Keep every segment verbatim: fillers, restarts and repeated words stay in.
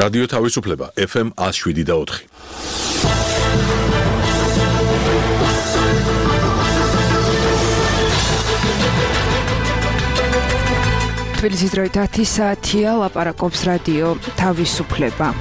რადიო თავისუფლება ეფ ემ ათს შვიდი და ოთხი. თბილისის დროით ათი საათია, ლაპარაკობს რადიო თავისუფლება.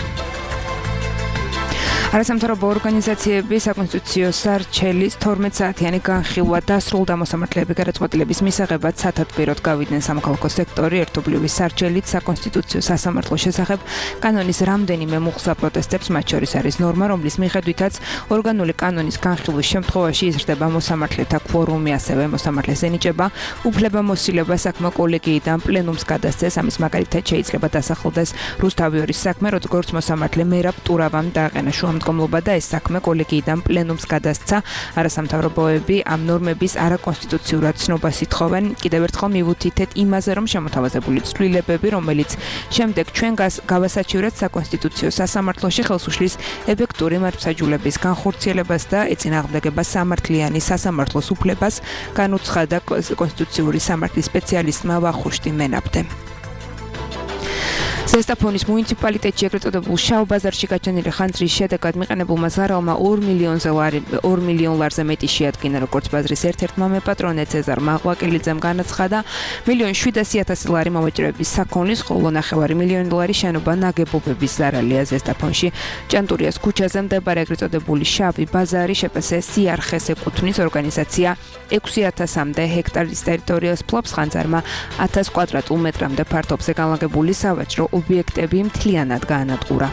არასამთავრობო ორგანიზაციების საკონსტიტუციო სარჩელის თორმეტ საათიანი განხილვა დასრულდა. მოსამართლეები გადაწყვეტილების მისაღებად სათათბიროდ გავიდნენ სამოქალაქო სექტორი ერთობლივი სარჩელით საკონსტიტუციო სასამართლოს შესახებ კანონის რამდენიმე მუხსა პროტესტებს, მათ შორის არის ნორმა, რომლის მიხედვითაც ორგანული კანონის განხილვის შემთხვევაში იზრდება მოსამართლეთა კვორუმი, ასევე მოსამართლეს ენიჭება უფლებამოსილება საქმე კოლეგიიდან პლენუმს გადასცეს. ამის მაგალითად შეიძლება დასახელდეს რუსთავიორის საქმე, როგორც მოსამართლე მერაბ ტურავამ დააყენა შუამდგომლობა და ეს საქმე კოლეგიიდან პლენუმს გადასცა. არასამთავრობოები ამ ნორმების არაკონსტიტუციურად ცნობას ითხოვენ. კიდევ ერთხელ მივუთითეთ იმაზე, რომ შემოთავაზებული ცვლილებები, რომელიც შემდეგ ჩვენ გავასაჩივრეთ საკონსტიტუციო სასამართლოში, ხელს უშლის ეფექტური მართლმსაჯულების განხორციელებას და ეწინააღმდეგება სამართლიანი სასამართლოს უფლებას, განუცხადა კონსტიტუციური სამართლის სპეციალისტმა ვახუშტი მენაბდე. ზესტაფონის მუნიციპალიტეტში ეგრეთ წოდებულ შავ ბაზარში გაჩენილი ხანძრის შედეგად მიყენებულმა ზარალმა ორ მილიონ ლარზე მეტი შეადგინა, როგორც ბაზრის ერთ-ერთმა მეპატრონე ცეზარ მაღვაკელიძემ განაცხადა. მილიონ შვიდასი ათასი ლარი მოვაჭრეების საქონლის, ხოლო ნახევარი მილიონი ლარი შენობა ნაგებობების ზარალია. ზესტაფონში ჭანტურიას ქუჩაზე მდებარე ეგრეთ წოდებული შავი ბაზარი შეპსე სიარხეს ეკუთვნის. ორგანიზაცია ექვსი ათასამდე ჰექტარის ტერიტორიას ფლობს. ხანძარმა ათას კვადრატულ მეტრამდე ფართობზე განლაგებული სავაჭრო ობიექტები მთლიანად გაანადგურა.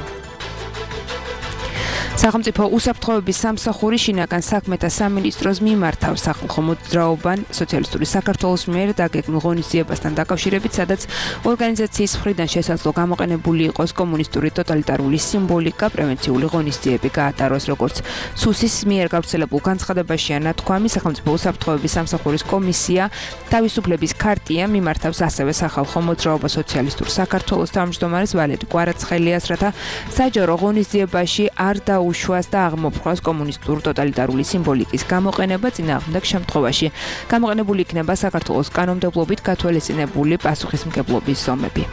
სახელმწიფო უსაფრთხოების სამსახური შინაგან საქმეთა სამინისტროს მიმართავ სახალხო მოძრაობან სოციალისტური საქართველოს მიერ დაგეგმილ ღონისძიებასთან დაკავშირებით, სადაც ორგანიზაციის მხრიდან შესაძლო გამოყენებული იყოს კომუნისტური ტოტალიტარული სიმბოლიკა, პრევენციული ღონისძიები გაატაროს. როგორც სუსის მიერ გავრცელებულ განცხადებაშია ნათქვამი, სახელმწიფო უსაფრთხოების სამსახურის კომისია თავისუფლების ქარტია მიმართავს ასევე სახალხო მოძრაობა სოციალისტურ საქართველოს თავმჯდომარეს ვალერი კვარაცხელიას, რათა საჯარო ღონისძიებაში არ დაუ უშუას და აღმოფხვას კომუნისტურ ტოტალიტარული სიმბოლიკის გამოყენება. წინააღმდეგ შემთხვევაში გამოყენებული იქნება საქართველოს კანონმდებლობით გათვალისწინებული პასუხისმგებლობის ზომები.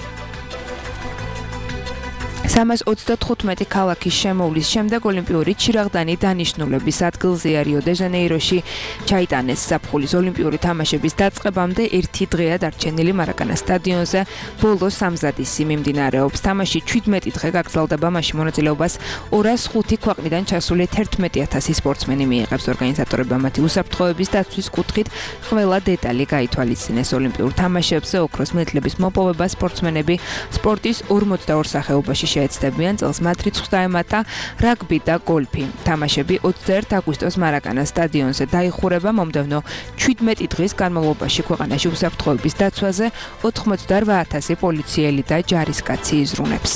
სამას ოცდათხუთმეტი ქალაქის შემოვლის შემდეგ ოლიმპიური ჩირაღდანი დანიშნულების ადგილზეა. რიო-დე-ჟანეიროში ჩაიტანეს ზაფხულის ოლიმპიური თამაშების დაწყებამდე ერთი დღეა დარჩენილი. მარაკანა სტადიონზე ბოლო სამზადისი მიმდინარეობს. თამაში ჩვიდმეტი დღე გაგრძელდება, მაშინ მონაწილეობას ორას ხუთი ქვეყნიდან ჩასული თერთმეტი ათასი სპორტსმენი მიიღებს. ორგანიზატორებმა მათი უსაფრთხოების დაცვის კუთხით ყველა დეტალი გაითვალისწინეს. ოლიმპიურ თამაშებზე ოქროს მედლების მოპოვება სპორტსმენები სპორტის ორმოცდაორ სახეობაში შეეცდებიან. წელს მათ რიცხვს დაემატა რაგბი და გოლფი. თამაშები ოცდაერთი აგვისტოს მარაკანა სტადიონზე დაიხურება. მომდევნო ჩვიდმეტი დღის განმავლობაში ქვეყანაში უსაფრთხოების დაცვაზე ოთხმოცდაორ ათასი პოლიციელი და ჯარისკაცი იზრუნებს.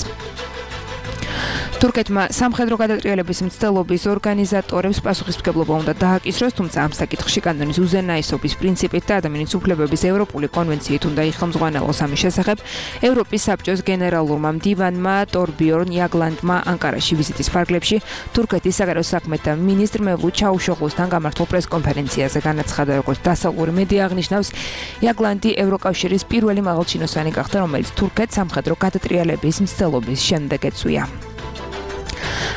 თურქეთმა სამხედრო გადატრიალების მცდელობის ორგანიზატორებს პასუხისმგებლობა უნდა დააკისროს, თუმცა ამ საკითხში კანონის უზენაესობის პრინციპით და ადამიანის უფლებების ევროპული კონვენციით უნდა იხელმძღვანელოს. ამის შესახებ ევროპის საბჭოს გენერალურმა მდივანმა ტორბიორნ იაგლანდმა ანკარაში ვიზიტის ფარგლებში თურქეთის საგარეო საქმეთა მინისტრ მევლութ ჩაუშოღლუსთან გამართულ პრესკონფერენციაზე განაცხადა. როგორც დასავლური მედია აღნიშნავს, იაგლანდი ევროკავშირის პირველი მაღალჩინოსანი გახდა, რომელიც თურქეთს სამხედრო გადატრიალების მცდელობის შემდეგ ეწვია.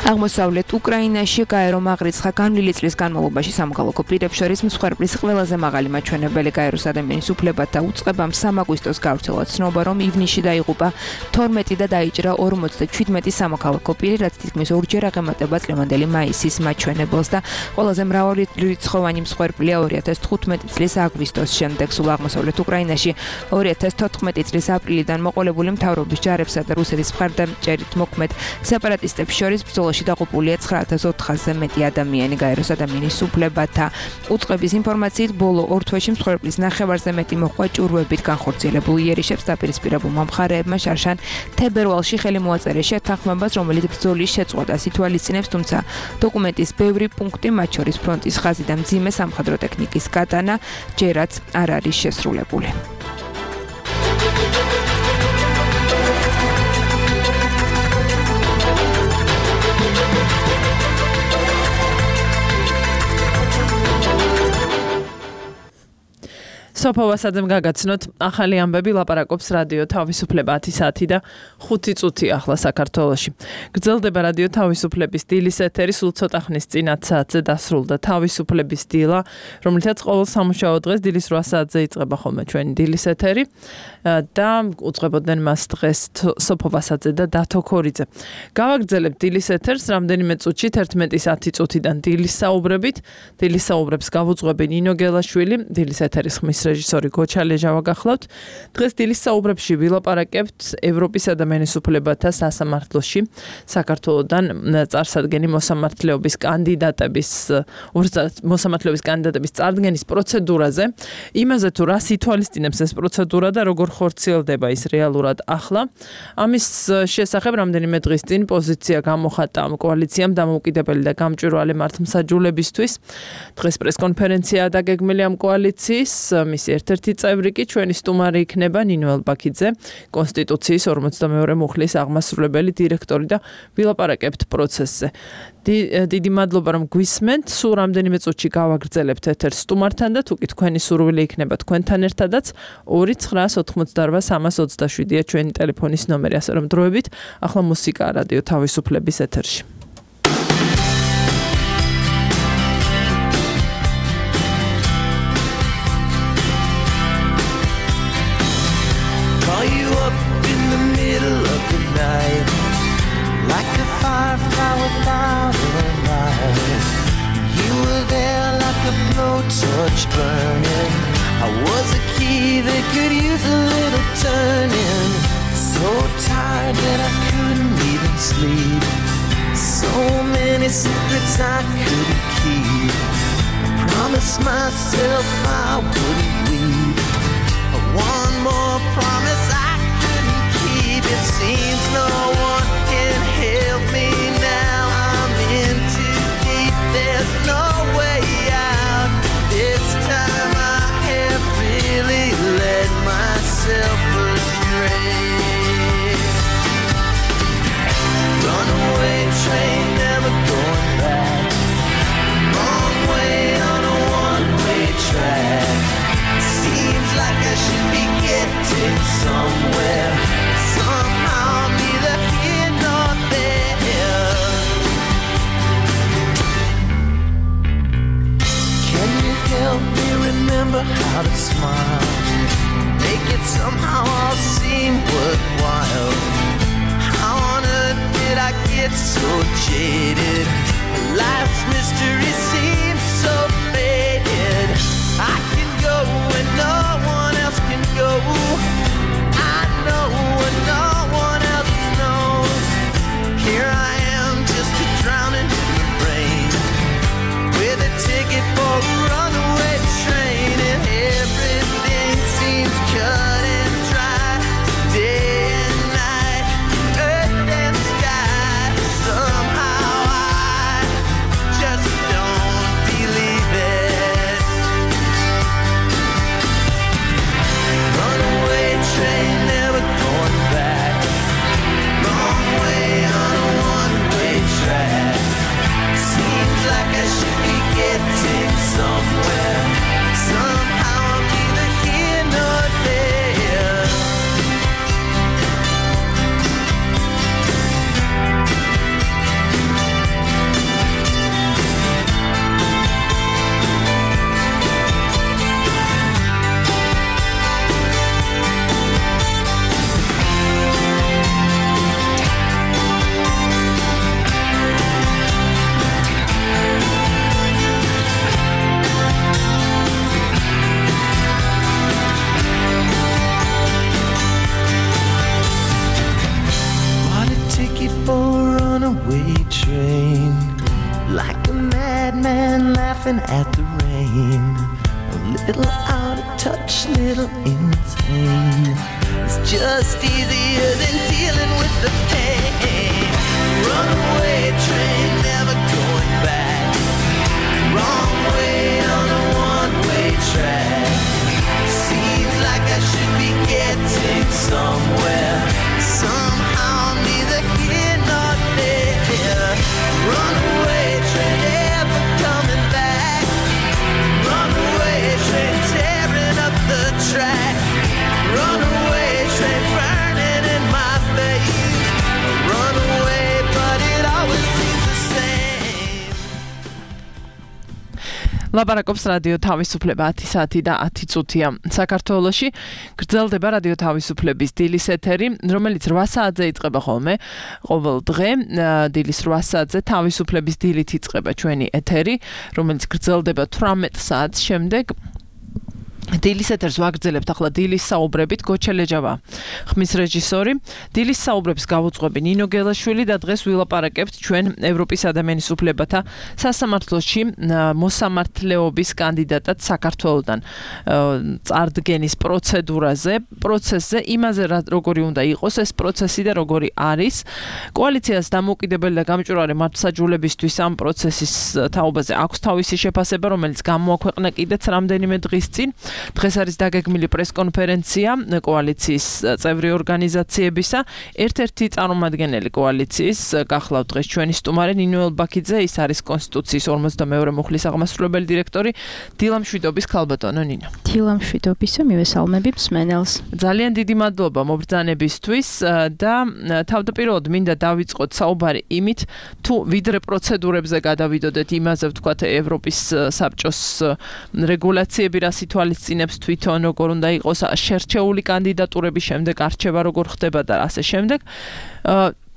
აღმოსავლეთ უკრაინაში გაერო მაღრიცხა განვლილი წლის განმავლობაში სამოქალაქო პირებს შორის მსხვერპლის ყველაზე მაღალი მაჩვენებელი. გაეროს ადამიანის უფლებათა უწყებამ სამ აგვისტოს გავრცელა ცნობა, რომ ივნისში დაიღუპა თორმეტი და დაიჭრა ორმოცდაჩვიდმეტი სამოქალაქო პირი, რაც თითქმის ორჯერ აღემატება წლევანდელი მაისის მაჩვენებელს და ყველაზე მრავალრიცხოვანი მსხვერპლია ორი ათას თხუთმეტი წლის აგვისტოს შემდეგ. სულ აღმოსავლეთ უკრაინაში ორი ათას თოთხმეტი წლის აპრილიდან მოყოლებული მთავრობის ჯარებსა და რუსეთის მხარდამჭერით მოქმედ სეპარატისტებს შორის ბრძოლაში დაღუპულია ცხრა ათას ოთხასზე მეტი ადამიანი. გაეროს ადამიანის უფლებათა უწყების ინფორმაციით ბოლო ორ თვეში მსხვერპლის ნახევარზე მეტი მოჰყვა ჭურვებით განხორციელებულ იერიშებს. დაპირისპირებულმა მხარეებმა შარშან თებერვალში ხელი მოაწერეს შეთანხმებას, რომელიც ბრძოლის შეწყვეტას ითვალისწინებს, თუმცა დოკუმენტის ბევრი პუნქტი, მათ შორის ფრონტის ხაზი და მძიმე სამხედრო ტექნიკის გატანა, ჯერაც არ არის შესრულებული. სოფო ვასაძემ გაგაცნოთ ახალი ამბები ლაპარაკობს რადიო თავისუფლება ათი საათი და ხუთი წუთი ახლა საქართველოში. გრძელდება რადიო თავისუფლების დილის ეთერი, სულ ცოტა ხნის წინ ათი საათზე დასრულდა თავისუფლების დილა, რომლითაც ყოველ სამუშაო დღეს დილის რვა საათზე იწყება ხოლმე ჩვენი დილის ეთერი და უწყებოდნენ მას დღეს სოფო ვასაძე და დათო ქორიძე. გავაგრძელებთ დილის ეთერს რამდენიმე წუთში თერთმეტის ათი წუთიდან დილის საუბრებით. დილის საუბრებს გავუძღვები ნინო გელაშვილი, დილის ეთერის ხმის რეჟისორი გოჩა ლეჟავა გახლავთ. დღეს დილის საუბრებში ვილაპარაკებთ ევროპისა და მენისუფლებათა სასამართლოში საქართველოდან წარსადგენი მოსამართლეობის კანდიდატების მოსამართლეობის კანდიდატების წარდგენის პროცედურაზე, იმაზე თუ რას ითვალისწინებს ეს პროცედურა და როგორ ხორციელდება ის რეალურად ახლა. ამის შესახებ რამდენიმე დღის წინ პოზიცია გამოხატა კოალიციამ დამოუკიდებელი და გამჭვირვალე მართლმსაჯულებისთვის. დღეს პრესკონფერენცია დაგეგმილი ამ კოალიციის, მისი ერთ-ერთი წევრი კი ჩვენი სტუმარი იქნება ნინო ელბაქიძე, კონსტიტუციის ორმოცდამეორე მუხლის აღმასრულებელი დირექტორი და ვილაპარაკებთ პროცესზე. დიდი მადლობა რომ გვისმენთ, სულ რამდენიმე წუთში გავაგრძელებთ ეთერს სტუმართან და თუ კი თქვენი სურვილი იქნება თქვენთან ერთადაც ორი ცხრა ოთხმოცდარვა სამას ოცდაშვიდია ჩვენი ტელეფონის ნომერი, ასე რომ დროებით ახლა მუსიკა რადიო თავისუფლების ეთერში. Like a firefly without a light, you were there like a blowtorch burning. I was a key that could use a little turning. So tired that I couldn't even sleep. So many secrets I couldn't keep. I promised myself I wouldn't weep. One more promise I couldn't keep. It seems no one can help me now. I'm in too deep, there's no way out. This time I have really led myself astray. Runaway train, never going back. Wrong way on a one-way track. Seems like I should be getting somewhere. Somehow I'm neither here nor there. Can you help me remember how to smile? Make it somehow all seem worthwhile. How on earth did I get so jaded? Life's mystery seems so faded. I can go when no one else can go. I know when no one else knows. Here I am just a drowning in the rain, with a ticket for a runaway train, and everything seems cut and dry. Day and night, earth and sky. Somehow I just don't believe it. Runaway train, never going back. Wrong way on a one-way track. Seems like I should be getting somewhere. Somehow I'm neither here nor there. Bought a ticket for a runaway train, like a madman laughing at the rain. A little out of touch, little insane. It's just easier than dealing with the pain. Runaway train, never going back. Wrong way on a one-way track. Seems like I should be getting somewhere. Somehow I'm neither here nor there. Runaway train, never coming back. Runaway train, tearing up the ლაპარაკობს რადიო თავისუფლება ათი საათი და ათი წუთია. საქართველოში გრძელდება რადიო თავისუფლების დილის ეთერი, რომელიც რვა საათზე იწყება ხოლმე. ყოველ დღე დილის რვა საათზე თავისუფლების დილით იწყება ჩვენი ეთერი, რომელიც გრძელდება თვრამეტ საათს შემდეგ. დილის ეთერს ვაგრძელებთ ახლა დილის საუბრებით გოჩელეჯავა ხმის რეჟისორი დილის საუბრებს გავუძღვები ნინო გელაშვილი და დღეს ვილაპარაკებთ ჩვენ ევროპის ადამიანის უფლებათა სასამართლოში მოსამართლეობის კანდიდატად საქართველოდან წარდგენის პროცედურაზე პროცესზე იმაზე როგორი უნდა იყოს ეს პროცესი და როგორი არის კოალიციას დამოუკიდებელი და გამჭვირვალე მართლმსაჯულებისთვის ამ პროცესის თაობაზე აქვს თავისი შეფასება რომელიც გამოაქვეყნა კიდეც რამდენიმე დღის წინ დღეს არის დაგეგმილი პრესკონფერენცია კოალიციის წევრი ორგანიზაციებისა. ერთ-ერთი წარმომადგენელი კოალიციის გახლავთ დღეს ჩვენი სტუმარი ნინო ელბაქიძე, ის არის კონსტიტუციის ორმოცდამეორე მუხლის აღმასრულებელი დირექტორი. დილა მშვიდობის ქალბატონო ნინო. დილა მშვიდობისა, მივესალმები მსმენელს. ძალიან დიდი მადლობა მობრძანებისთვის და თავდაპირველად მინდა დავიწყოთ საუბარი იმით, თუ ვიდრე პროცედურებზე გადავიდოდეთ იმაზე ვთქვათ ევროპის საბჭოს რეგულაციები რა სიტუაცია წინებს თვითონ როგორ უნდა იყოს შერჩეული კანდიდატურების შემდეგ არჩევა როგორ ხდება და ასე შემდეგ.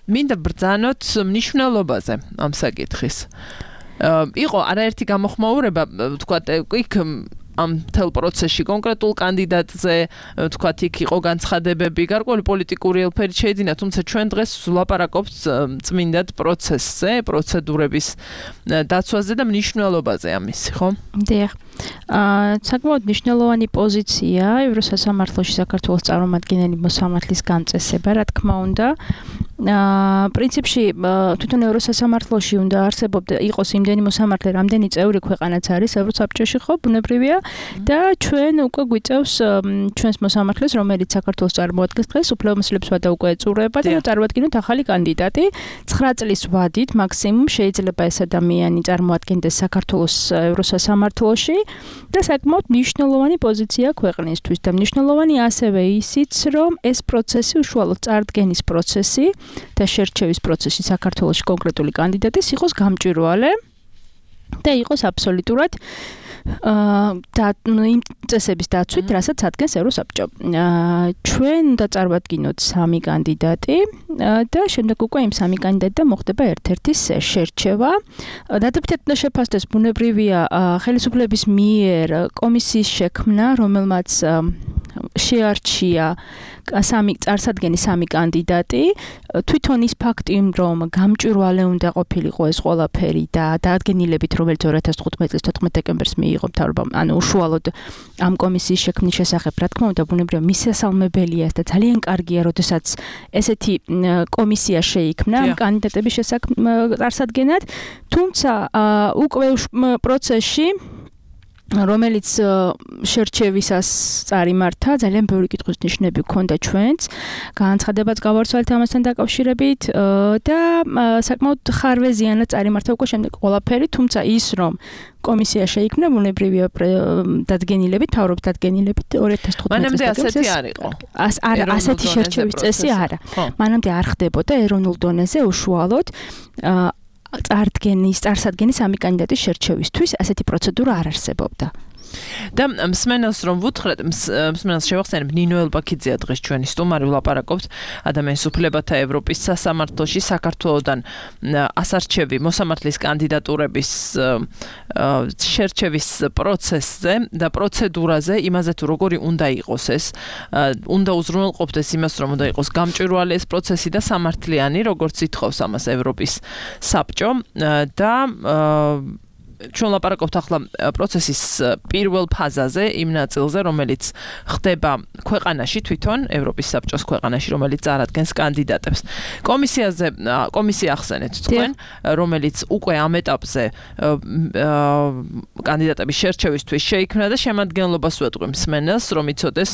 მინდა ბრძანოთ მნიშვნელობაზე ამ საკითხის. იყო არაერთი გამოხმაურება, ვთქვათ, იქ ამ თელ პროცესში კონკრეტულ კანდიდატზე, ვთქვათ, იქ იყო განცხადებები, გარკვეული პოლიტიკური ელფერი შეიძინა, თუმცა ჩვენ დღეს ვლაპარაკობთ წმინდად პროცესზე, პროცედურების დაცვაზე და მნიშვნელობაზე ამისი, ხო? დიახ. აა საკმაოდ მნიშვნელოვანი პოზიცია ევროსასამართლოში საქართველოს წარმომადგენელი მოსამართლის განწესება, რა თქმა უნდა. აა პრინციპში თვითონ ევროსასამართლოში უნდა არსებობდა იყოს იმდენი მოსამართლე, რამდენი წევრი ქვეყანაც არის ევროსაბჭოში, ხო, ბუნებრივია და ჩვენ უკვე გვიწევს ჩვენს მოსამართლეს, რომელიც საქართველოს წარმოადგენს დღეს უფლებამოსილებს ვადა უკვე ეწურება და წარმოადგენთ ახალი კანდიდატი. ცხრა წლის ვადით მაქსიმუმ შეიძლება ეს ადამიანი წარმოადგენდეს საქართველოს ევროსასამართლოში და საკმაოდ მნიშვნელოვანი პოზიცია ქვეყნისთვის და მნიშვნელოვანი ასევე ისიც, რომ ეს პროცესი უშუალოდ წარდგენის პროცესი და შერჩევის პროცესი საქართველოში კონკრეტული კანდიდატის იყოს გამჭვირვალე და იყოს აბსოლუტურად და იმ წესების დაცვით, რასაც ადგენს ევროსაბჭო. ჩვენ უნდა წარმოვადგინოთ სამი კანდიდატი და შემდეგ უკვე იმ სამი კანდიდატიდან მოხდება ერთ-ერთი შერჩევა. დადებითად უნდა შეფასდეს ბუნებრივია ხელისუფლების მიერ კომისიის შექმნა, რომელმაც შეარჩია სამი წარსადგენი სამი კანდიდატი. თვითონ ის ფაქტი, რომ გამჭვირვალე უნდა ყოფილიყო ეს ყველაფერი და დაადგენილებით, რომელიც ორი ათას თხუთმეტი წლის თოთხმეტ დეკემბერს მიიღო მთავრობამ, ანუ უშუალოდ ამ კომისიის შექმნის შესახებ, რა თქმა უნდა, ბუნებრივია მისასალმებელია და ძალიან კარგია, როდესაც ესეთი კომისია შეიქმნა ამ კანდიდატების შესახებ წარსადგენად, თუმცა უკვე პროცესში რომელიც შერჩევისას წარიმართა, ძალიან ბევრი კითხვის ნიშნები ჰქონდა ჩვენც, განცხადებაც გავარცვალეთ ამასთან დაკავშირებით და საკმაოდ ხარვეზიანად წარიმართა უკვე შემდეგ ყველაფერი, თუმცა ის რომ კომისია შეიქმნა ბუნებრივია დადგენილებით, თავრობის დადგენილებით ორი ათას თხუთმეტი მანამდე ასეთი არ იყო. არა, ასეთი შერჩევის წესი არა. მანამდე არ ხდებოდა ეროვნულ დონეზე უშუალოდ წარდგენის, წარსადგენის სამი კანდიდატის შერჩევისთვის ასეთი პროცედურა არ არსებობდა. და მსმენელს რომ ვუთხრეთ, მსმენელს შევახსენებ ნინო ელბაქიძეა დღეს ჩვენი სტუმარი, ვლაპარაკობთ ადამიანის უფლებათა ევროპის სასამართლოში საქართველოდან ასარჩევი მოსამართლის კანდიდატურების შერჩევის პროცესზე და პროცედურაზე, იმაზე თუ როგორი უნდა იყოს ეს, უნდა უზრუნველყოფდეს იმას, რომ უნდა იყოს გამჭვირვალე ეს პროცესი და სამართლიანი, როგორც ითხოვს ამას ევროპის საბჭო და ჩვენ ლაპარაკობთ ახლა პროცესის პირველ ფაზაზე, იმ ნაწილზე, რომელიც ხდება ქვეყანაში თვითონ, ევროპის საბჭოს ქვეყანაში, რომელიც წარადგენს კანდიდატებს. კომისიაზე, კომისია ახსენეთ თქვენ, რომელიც უკვე ამ ეტაპზე კანდიდატების შერჩევისთვის შეიქმნა და შემადგენლობას ვეტყვი მსმენელს, რომ იცოდეს,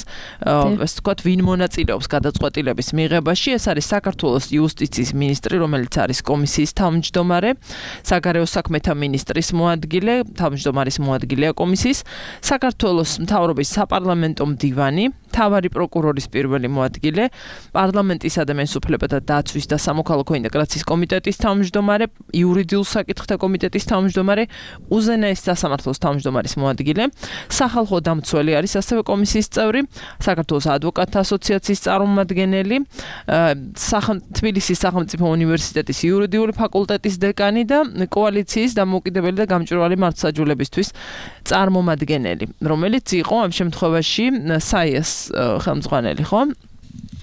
ასე ვთქვათ, ვინ მონაწილეობს გადაწყვეტილების მიღებაში. ეს არის საქართველოს იუსტიციის მინისტრი, რომელიც არის კომისიის თავმჯდომარე, საგარეო საქმეთა მინისტრის მოადგილე, თავმჯდომარის მოადგილეა კომისიის, საქართველოს მთავრობის საპარლამენტო მდივანი, მთავარი პროკურორის პირველი მოადგილე, პარლამენტისა და მენსუფლებათა დაცვის და სამოქალაქო ინტეგრაციის კომიტეტის თავმჯდომარე, იურიდიულ საკითხთა კომიტეტის თავმჯდომარე, უზენაეს სასამართლოს თავმჯდომარის მოადგილე, სახალხო დამცველი არის ასევე კომისიის წევრი, საქართველოს ადვოკატთა ასოციაციის წარმომადგენელი, თბილისის სახელმწიფო უნივერსიტეტის იურიდიული ფაკულტეტის დეკანი და კოალიციის დამოუკიდებელი და გამჭვირვალე მართლმსაჯულებისთვის წარმომადგენელი, რომელიც იყო ამ შემთხვევაში საიას ხელმძღვანელი, ხო?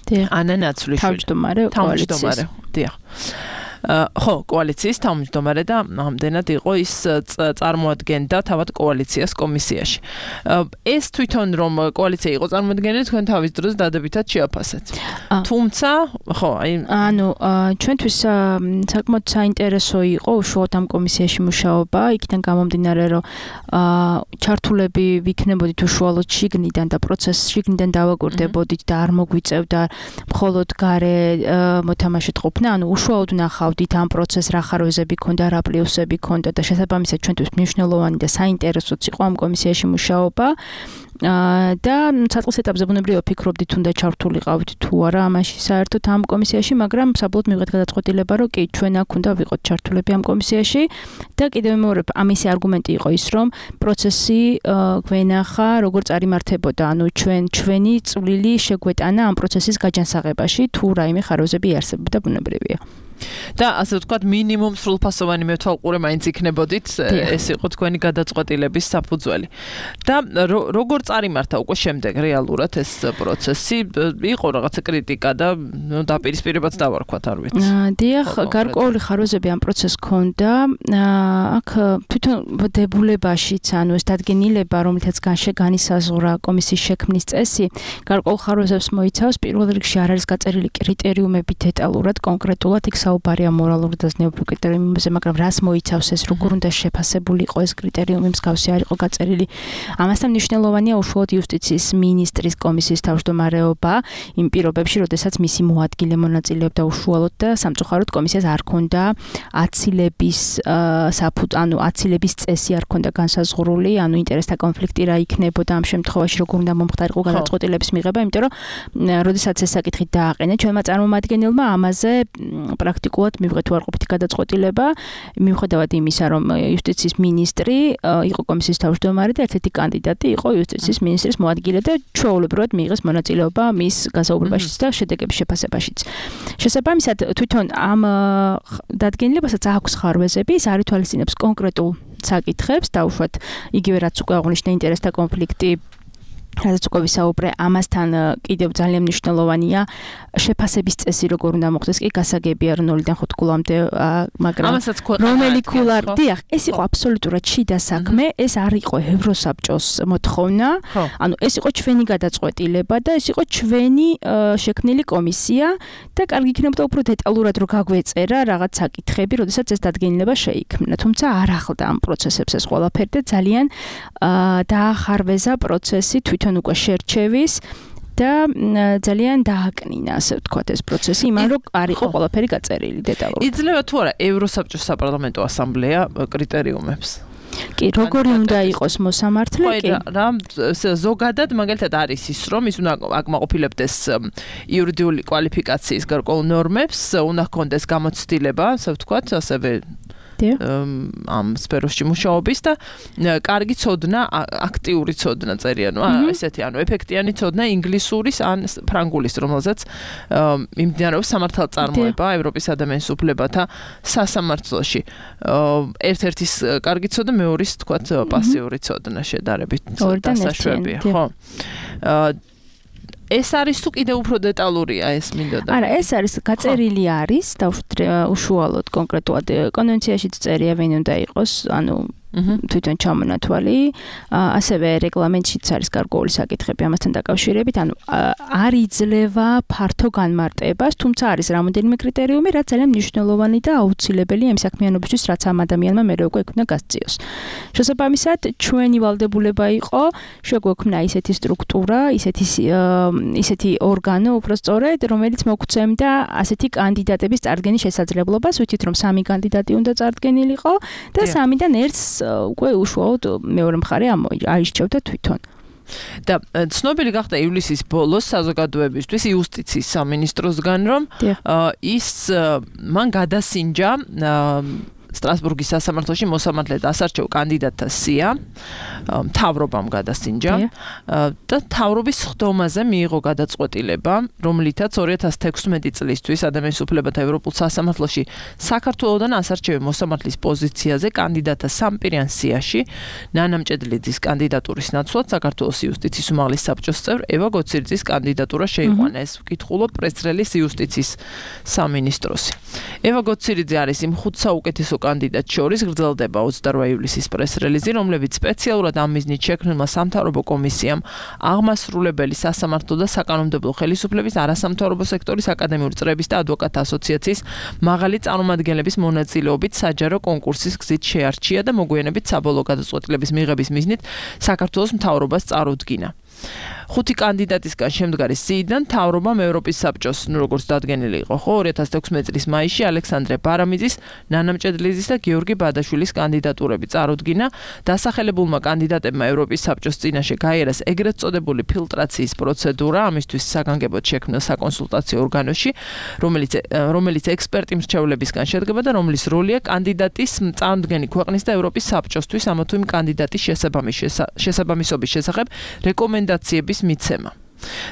დიახ. ანა ნაცვლიშვილი. თავმჯდომარე კოალიციის. დიახ. ხო, კოალიციის თავმჯდომარე და ამდენად იყო ის წარმოადგენდა თავად კოალიციას კომისიაში. ეს თვითონ რომ კოალიცია იყო წარმოადგენელი, თქვენ თავის დროს დადებითად შეაფასეთ. თუმცა, ხო, აი ანუ ჩვენთვის საკმაოდ საინტერესო იყო უშუალოდ ამ კომისიაში მუშაობა, იქიდან გამომდინარე, რომ ჩართულები ვიქნებოდით უშუალოდ შიგნიდან და პროცესს შიგნიდან დავაკვირდებოდით და არ მოგვიწევდა მხოლოდ გარე მოთამაშედ ყოფნა, ანუ უშუალოდ ნახავ ამ პროცესს რა ხარვეზები ქონდა, რა პლუსები ქონდა და შესაბამისად ჩვენთვის მნიშვნელოვანი და საინტერესოც იყო ამ კომისიაში მუშაობა. და საწყის ეტაპზე ბუნებრივია ვფიქრობდით თუნდაც ჩართულიყავით თუ არა ამაში საერთოდ ამ კომისიაში, მაგრამ საბოლოოდ მივიღეთ გადაწყვეტილება, რომ კი ჩვენ აქ უნდა ვიყოთ ჩართულები ამ კომისიაში და კიდევ მეორე ამისი არგუმენტი იყო ის, რომ პროცესი გვენახა როგორ წარიმართებოდა, ანუ ჩვენ ჩვენი წვლილი შეგვეტანა ამ პროცესის გაჯანსაღებაში, თუ რაიმე ხარვეზები იარსებოდა ბუნებრივია. და ასე ვთქვათ, მინიმუმ სრულფასოვანი მეთვალყურე მაინც იქნებოდით, ეს იყო თქვენი გადაწყვეტილების საფუძველი. და როგორ წარიმართა უკვე შემდეგ რეალურად ეს პროცესი, იყო რაღაცა კრიტიკა და დაპირისპირებაც დავარქვათ, არ ვიცი. დიახ, გარკვეული ხარვეზები ამ პროცესს ჰქონდა. აქ თვითონ დებულებაშიც, ანუ ეს დადგენილება, რომელთაც განისაზღვრა კომისიის შექმნის წესი, გარკვეულ ხარვეზებს მოიცავს. პირველ რიგში არ არის გაწერილი კრიტერიუმები დეტალურად, კონკრეტულად იქ საუბარია მორალური და ზნეობრივი კრიტერიუმებზე, მაგრამ რას მოიცავს ეს, როგორ უნდა შეფასებული იყო ეს კრიტერიუმი, მსგავსი არ იყო გაწერილი. ამასთან მნიშვნელოვანია უშუალოდ იუსტიციის მინისტრის კომისიის თავმჯდომარეობა იმ პირობებში, როდესაც მისი მოადგილე მონაწილეობდა უშუალოდ და სამწუხაროდ კომისიას არ ჰქონდა აცილების საფუძველი, ანუ აცილების წესი არ ჰქონდა განსაზღვრული, ანუ ინტერესთა კონფლიქტი რა იქნებოდა ამ შემთხვევაში, როგორ უნდა მომხდარიყო გადაწყვეტილების მიღება, იმიტომ რომ როდესაც ეს საკითხი დააყენა ჩვენმა წარმომადგენელმა, ამაზე პრაქტიკულად მივიღეთ უარყოფითი გადაწყვეტილება, მიუხედავად იმისა, რომ იუსტიციის მინისტრი იყო კომისიის თავმჯდომარე და ერთ-ერთი კანდიდატი იყო იუსტიციის მინისტრის მოადგილე და ჩვეულებრივად მიიღეს მონაწილეობა მის გასაუბრებაშიც და შედეგების შეფასებაშიც. შესაბამისად, თვითონ ამ დადგენილებასაც აქვს ხარვეზები, ის არ ითვალისწინებს კონკრეტულ საკითხებს, დაუშვათ იგივე რაც უკვე აღნიშნე ინტერესთა კონფლიქტი, რადგან უკვე ვისაუბრე, ამასთან კიდევ ძალიან მნიშვნელოვანია შეფასების წესი, როგორ უნდა მოხდეს, კი გასაგებია რომ ნულიდან ხუთ კულამდე, მაგრამ რომელი კულა, დიახ, ეს იყო აბსოლუტურად შიდა საქმე, ეს არ იყო ევროსაბჭოს მოთხოვნა, ანუ ეს იყო ჩვენი გადაწყვეტილება და ეს იყო ჩვენი შექმნილი კომისია და კარგი იქნებოდა უფრო დეტალურად რო გაგვეწერა რაღაც საკითხები, როდესაც ეს დადგენილება შეიქმნა, თუმცა არ ახლდა ამ პროცესებს ეს ყველაფერი და ძალიან დაახარვეზა პროცესი თვითონ უკვე შერჩევის და ძალიან დააკნინა, ასე ვთქვათ, ეს პროცესი, იმან რომ არ იყო ყველაფერი გაწერილი დეტალურად. იძლევა თუ არა ევროსაბჭოს საპარლამენტო ასამბლეა კრიტერიუმებს? კი, როგორი უნდა იყოს მოსამართლე, კი. რა, ზოგადად მაგალითად არის ის, რომ ის უნდა აკმაყოფილებდეს იურიდიული კვალიფიკაციის გარკვეულ ნორმებს, უნდა ჰქონდეს გამოცდილება, ასე ვთქვათ, ასევე ამ სფეროში მუშაობის და კარგი ცოდნა, აქტიური ცოდნა წერია, ნუ ესეთი, ანუ ეფექტიანი ცოდნა ინგლისურის ან ფრანგულის, რომელზეც მიმდინარეობს სამართალწარმოება ევროპის ადამიანის უფლებათა სასამართლოში. ერთ-ერთის კარგი ცოდნა, მეორის, თქვათ, პასიური ცოდნა შედარებით დასაშვებია, ხო? ეს არის თუ კიდევ უფრო დეტალურია ეს მინდოდა? არა, ეს არის გაწერილი არის და უშუალოდ კონკრეტულად კონვენციაშიც წერია ვინ უნდა იყოს, ანუ თვითონ ჩამონათვალი, ასევე რეგლამენტშიც არის გარკვეული საკითხები ამასთან დაკავშირებით, ანუ არ იძლევა ფართო განმარტებას, თუმცა არის რამოდენიმე კრიტერიუმი, რაც ძალიან მნიშვნელოვანი და აუცილებელია იმ საქმიანობისთვის, რაც ამ ადამიანმა მერე უკვე ექნა გასწიოს. შესაბამისად, ჩვენი ვალდებულება იყო, შეგვექმნა ისეთი სტრუქტურა, ისეთი ისეთი ორგანო, უბრალოდ, რომელიც მოგვცემდა ასეთი კანდიდატების წარდგენის შესაძლებლობას, ვიცით რომ სამი კანდიდატი უნდა წარდგენილიყო და სამიდან ერთს უკვე უშუალოდ მეორე მხარე აირჩევდა თვითონ. და ცნობილი გახდა ივლისის ბოლოს საზოგადოებისთვის იუსტიციის სამინისტროსგან, რომ ის მან გადასინჯა სტრასბურგის სასამართლოში მოსამართლე დასარჩევ კანდიდატთა სია, მთავრობამ გადასინჯა და მთავრობის ხდომაზე მიიღო გადაწყვეტილება, რომლითაც ორი ათას თექვსმეტი წლისთვის ადამიანის უფლებათა ევროპულ სასამართლოში საქართველოდან ასარჩევი მოსამართლის პოზიციაზე კანდიდატთა სამპირიან სიაში ნანა მჭედლიძის კანდიდატურის ნაცვლად საქართველოს იუსტიციის უმაღლეს საბჭოს წევრ ევა გოცირიძის კანდიდატურა შეიყვანა. ეს ვკითხულობ პრეს-რელიზ იუსტიციის სამინისტროსი. ევა გოცირიძე არის იმ ხუთ საუკეთესო კანდიდატ შორის გრძელდება ოცდაორ ივლისის პრეს-რელიზი, რომლებიც სპეციალურად ამ მიზნით შექმნილმა სამთავრობო კომისიამ აღმასრულებელი სასამართლო და საკანონმდებლო ხელისუფლების არასამთავრობო სექტორის აკადემიური წრეების და ადვოკატთა ასოციაციის მაღალი წარმომადგენლების მონაწილეობით საჯარო კონკურსის გზით შეარჩია და მოგვიანებით საბოლოო გადაწყვეტილების მიღების მიზნით საქართველოს მთავრობას წარუდგინა. ხუთი კანდიდატისგან შემდგარი სიიდან მთავრობამ ევროპის საბჭოს, ნუ როგორც დადგენილი იყო, ხო, ორი ათას თექვსმეტი წლის მაისში ალექსანდრე ბარამიძის, ნანა მჭედლიძის და გიორგი ბადაშვილის კანდიდატურები წარუდგინა. დასახელებულმა კანდიდატებმა ევროპის საბჭოს წინაშე გაიარეს ეგრეთ წოდებული ფილტრაციის პროცედურა, ამისთვის საგანგებოდ შექმნილ საკონსულტაციო ორგანოში, რომელიც რომელიც ექსპერტი მრჩევლებისგან შედგება და რომლის როლია კანდიდატის წარდგენი ქვეყნის და ევროპის საბჭოსთვის ამა თუ იმ კანდიდატის შესაბამისობის შესახებ რეკომენდაციების მიცემა.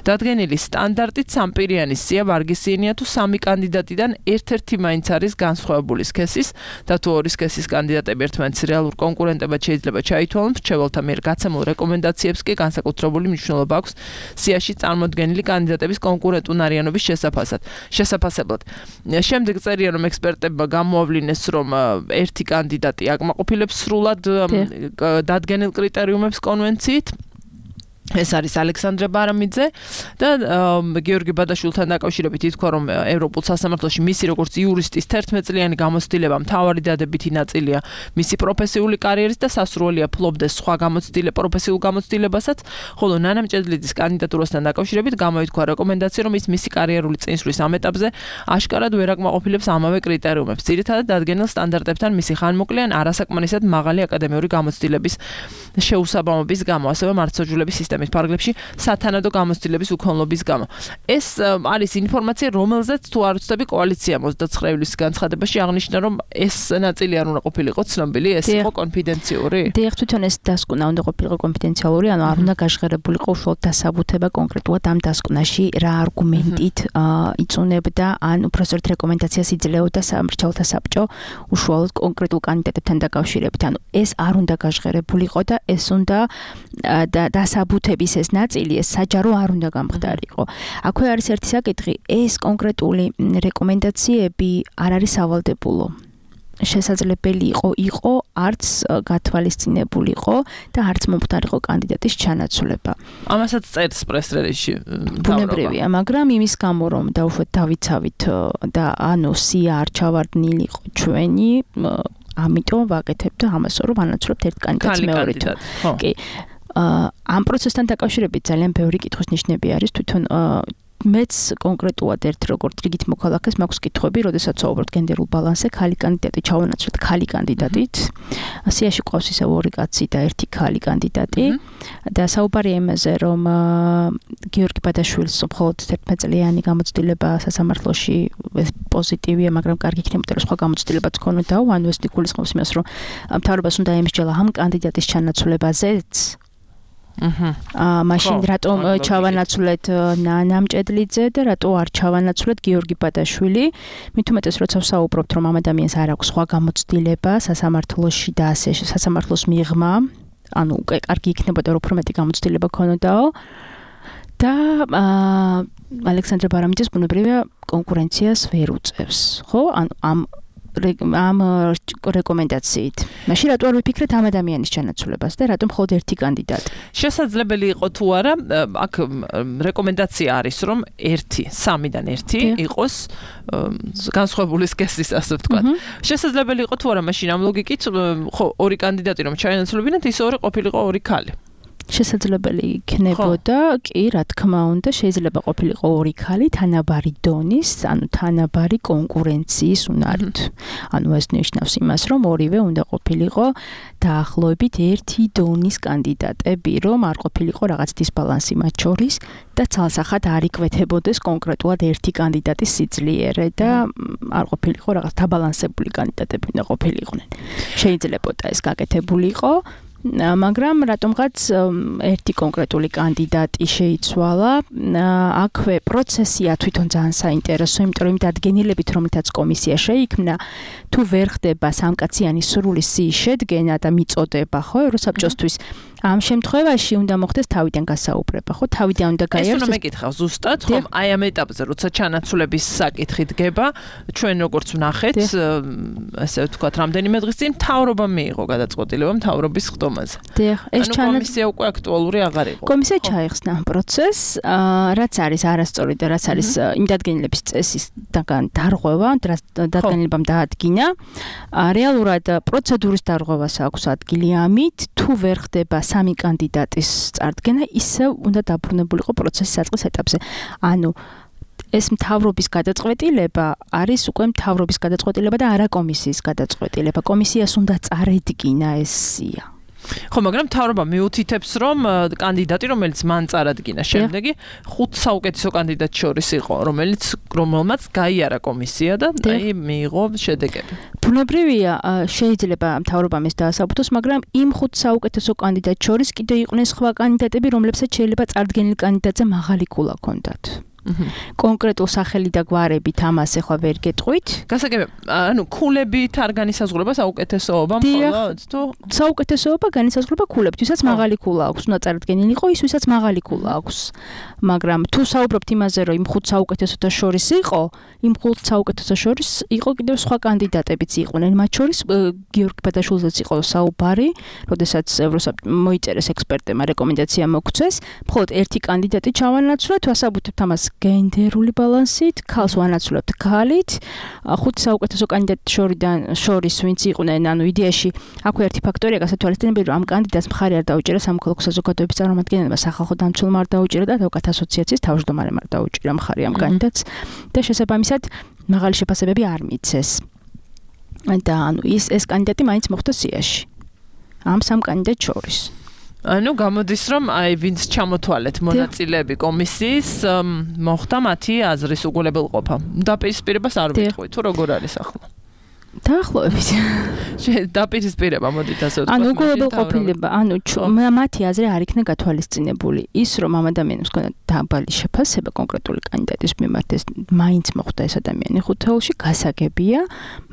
დადგენილი სტანდარტით სამპირიანი სია ვარგისიანია თუ სამი კანდიდატიდან ერთ-ერთი მაინც არის განსხვავებული სქესის და თუ ორი სქესის კანდიდატები ერთმანეთის რეალურ კონკურენტებად შეიძლება ჩაითვალონ, მრჩეველთა მიერ გაცემულ რეკომენდაციებს კი განსაკუთრებული მნიშვნელობა აქვს სიაში წარმოდგენილი კანდიდატების კონკურენტუნარიანობის შესაფასად. შესაფასებლად. შემდეგ წერია, რომ ექსპერტებმა გამოავლინეს, რომ ერთი კანდიდატი აკმაყოფილებს სრულად დადგენილ კრიტერიუმებს კონვენციით. ეს არის ალექსანდრე ბარამიძე და გიორგი ბადაშვილთან დაკავშირებით ითქვა, რომ ევროპულ სასამართლოში მისი როგორც იურისტის თერთმეტ წლიანი გამოცდილება მთავარი დადებითი ნაწილია მისი პროფესიული კარიერის და სასურველია ფლობდეს სხვა გამოცდილება პროფესიულ გამოცდილებასაც, ხოლო ნანა მჭედლიძის კანდიდატურასთან დაკავშირებით გამოითქვა რეკომენდაცია, რომ ის მისი კარიერული წინსვლის ამ ეტაპზე აშკარად ვერ აკმაყოფილებს ამავე კრიტერიუმებს. ძირითადად დადგენილ სტანდარტებთან მისი ხანმოკლე ან არასაკმარისად მაღალი აკადემიური გამოცდილების შეუსაბამობის გამო, ასევე მართლმსაჯულების სისტემის ფარგლებში სათანადო გამოცდილების უქონლობის გამო. ეს არის ინფორმაცია, რომელზეც თუ არ ვცდები კოალიცია ოცდაცხრე ივლისის განცხადებაში აღნიშნა, რომ ეს ნაწილი არ უნდა ყოფილიყო ცნობილი, ეს იყო კონფიდენციური. დიახ, თვითონ ეს დასკვნა უნდა ყოფილიყო კონფიდენციალური, ანუ არ უნდა გაშღერებულიყო უშუალოდ დასაბუთება კონკრეტულად ამ დასკვნაში რა არგუმენტით იწუნებდა, ან უბრალოდ რეკომენდაციას იძლეოდა სამრჩეველთა საბჭო უშუალოდ კონკრეტულ კანდიდატებთან დაკავშირებით. ანუ ეს არ უნდა გაშღერებულიყო და ეს უნდა დასაბუთება ეს ნაწილი ეს საჯარო არ უნდა გამხდარიყო. აქვე არის ერთი საკითხი, ეს კონკრეტული რეკომენდაციები არ არის სავალდებულო. შესაძლებელი იყო იყო არც გათვალისწინებულიყო და არც მომხდარიყო კანდიდატის ჩანაცვლება. ამასაც წერს პრეს-რელიზში. ბუნებრივია, მაგრამ იმის გამო რომ დაუშვათ დავიცავით და ანუ სია არ ჩავარდნილიყო ჩვენი, ამიტომ ვაკეთებთ ამას, რომ ვანაცვლებთ ერთ კანდიდატს მეორით. კი. ამ პროცესთან დაკავშირებით ძალიან ბევრი კითხვის ნიშნები არის, თვითონ მეც კონკრეტულად ერთ როგორც რიგით მოქალაქეს მაქვს კითხვები, როდესაც ვსაუბრობთ გენდერულ ბალანსზე, ქალი კანდიდატი ჩავანაცვლეთ ქალი კანდიდატით. სიაში ყავს ისე ორი კაცი და ერთი ქალი კანდიდატი და საუბარია იმაზე, რომ გიორგი ბადაშვილს მხოლოდ თერთმეტ წლიანი გამოცდილება სასამართლოში პოზიტივია, მაგრამ კარგი იქნებოდა რომ სხვა გამოცდილებაც ქონოდაო, ანუ ეს გულისხმობს იმას, რომ მთავრობას უნდა ემსჯელა ამ კანდიდატის ჩანაცვლებაზეც. აა მაშინ რატომ ჩავანაცვლეთ ნანა მჭედლიძე და რატო არ ჩავანაცვლეთ გიორგი ბადაშვილი? მით უმეტეს როცა ვსაუბრობთ, რომ ამ ადამიანს არ აქვს სხვა გამოცდილება სასამართლოში და ასე სასამართლოს მიღმა, ანუ უკვე კარგი იქნებოდა რომ უფრო მეტი გამოცდილება ქონოდაო. და აა ალექსანდრე ბარამიძეს ბუნებრივია კონკურენციას ვერ უწევს, ხო? ანუ ამ ამ რეკომენდაციით. მაშინ რატო არ ვიფიქრეთ ამ ადამიანის ჩანაცვლებას და რატომ მხოლოდ ერთი კანდიდატი? შესაძლებელი იყო თუ არა, აქ რეკომენდაცია არის, რომ ერთი, სამიდან ერთი იყოს განსხვავებული სქესის, ასე ვთქვათ. შესაძლებელი იყო თუ არა, მაშინ ამ ლოგიკით, ხო, ორი კანდიდატი რომ ჩაენაცვლებინათ, ის ორი ყოფილიყო ორი ქალი. შესაძლებელი იქნებოდა, კი, რა თქმა უნდა, შეიძლება ყოფილიყო ორი ქალი თანაბარი დონის, ანუ თანაბარი კონკურენციის უნარით. ანუ ეს ნიშნავს იმას, რომ ორივე უნდა ყოფილიყო დაახლოებით ერთი დონის კანდიდატები, რომ არ ყოფილიყო რაღაც დისბალანსი მათ შორის და ცალსახად არ იკვეთებოდეს კონკრეტულად ერთი კანდიდატის სიძლიერე და არ ყოფილიყო რაღაც დაბალანსებული კანდიდატები უნდა ყოფილიყვნენ. შეიძლებოდა ეს გაკეთებულიყო, მაგრამ რატომღაც ერთი კონკრეტული კანდიდატი შეიცვალა. აქვე პროცესია თვითონ ძალიან საინტერესო, იმიტომ რომ დადგენილებით, რომელთაც კომისია შეიქმნა, თუ ვერ ხდება სამკაციანი სრული სიის შედგენა და მიწოდება, ხო, ევროსაბჭოსთვის ამ შემთხვევაში უნდა მოხდეს თავიდან გასაუბრება, ხო? თავიდან უნდა გაიაროს. ეს უნდა მეკითხავ ზუსტად, ხომ? აი ამ ეტაპზე, როცა ჩანაცვლების საკითხი დგება, ჩვენ როგორც ვნახეთ, ასე ვთქვათ, რამდენიმე დღის წინ მთავრობა მიიღო გადაწყვეტილება მთავრობის ხდომაზე. დიახ, ეს ჩანაცვლება კომისია უკვე აქტუალური აღარ იყო. კომისია ჩაიხსნა ამ პროცესს, რაც არის არასწორი და რაც არის იმ დადგენილების წესისგან დარღვევა, დადგენილებამ დაადგინა. რეალურად პროცედურის დარღვევას აქვს ადგილი ამით, თუ ვერ ხდება სამი კანდიდატის წარდგენა, ისევ უნდა დაბრუნებულიყო პროცესის საწყის ეტაპზე. ანუ ეს მთავრობის გადაწყვეტილება არის უკვე მთავრობის გადაწყვეტილება და არა კომისიის გადაწყვეტილება. კომისიას უნდა წარედგინა ეს სია. ხო, მაგრამ მთავრობა მიუთითებს, რომ კანდიდატი, რომელიც მან წარადგინა, შემდეგი ხუთ საუკეთესო კანდიდატს შორის იყო, რომელიც რომელმაც გაიარა კომისია და აი მიიღო შედეგები. ბუნებრივია, შეიძლება მთავრობამ ეს დაასაბუთოს, მაგრამ იმ ხუთ საუკეთესო კანდიდატს შორის კიდევ იყვნენ სხვა კანდიდატები, რომლებსაც შეიძლება წარდგენილ კანდიდატზე მაღალი ქულა ჰქონდათ. კონკრეტულ სახელი და გვარებით ამას ახლა ვერ გეტყვით. გასაგებია, ანუ ქულებით არ განისაზღვრება საუკეთესოობა მხოლოდ თუ საუკეთესოობა განისაზღვრება ქულებით, ვისაც მაღალი ქულა აქვს, უნდა წარდგენილიყო ის, ვისაც მაღალი ქულა აქვს. მაგრამ თუ საუბრობთ იმაზე, რომ იმ ხუთ საუკეთესოთა შორის იყო, იმ ხუთ საუკეთესო შორის იყო კიდევ სხვა კანდიდატებიც იყვნენ, მათ შორის გიორგი ბადაშვილზეც იყო საუბარი, როდესაც ევროსაბჭომ მოიწერეს ექსპერტებმა რეკომენდაცია მოგვცეს, მხოლოდ ერთი კანდიდატი ჩავანაცვლეთ, ვასაბუთებთ ამას გენდერული ბალანსით, ქალს ვანაცვლებთ ქალით, ხუთი საუკეთესო კანდიდატის შორიდან შორის ვინც იყვნენ, ანუ იდეაში აქვე ერთი ფაქტორია გასათვალისწინებელი, რომ ამ კანდიდატს მხარი არ დაუჭერა სამოქალაქო საზოგადოების წარმომადგენელმა, სახალხო დამცველმა არ დაუჭერა და ადვოკატ ასოციაციის თავმჯდომარემ არ დაუჭერა მხარი ამ კანდიდატს და შესაბამისად მაღალი შეფასებები არ მიცეს. და ანუ ის ეს კანდიდატი მაინც მოხდა სიაში. ამ სამ კანდიდატს შორის. ანუ გამოდის, რომ აი ვინც ჩამოთვალეთ მონაწილეები კომისიის, მოხდა მათი აზრის უგულებელყოფა. დაპირისპირებას არ ვიტყვი, თუ როგორ არის ახლა? დაახლოებით. დაპირისპირება მოდით ასე ვთქვათ. ანუ უგულებელყოფილება, ანუ მათი აზრი არ იქნა გათვალისწინებული. ის რომ ამ ადამიანებს ჰქონდა დაბალი შეფასება კონკრეტული კანდიდატის მიმართ, ეს მაინც მოხდა ეს ადამიანი ხუთეულში, გასაგებია,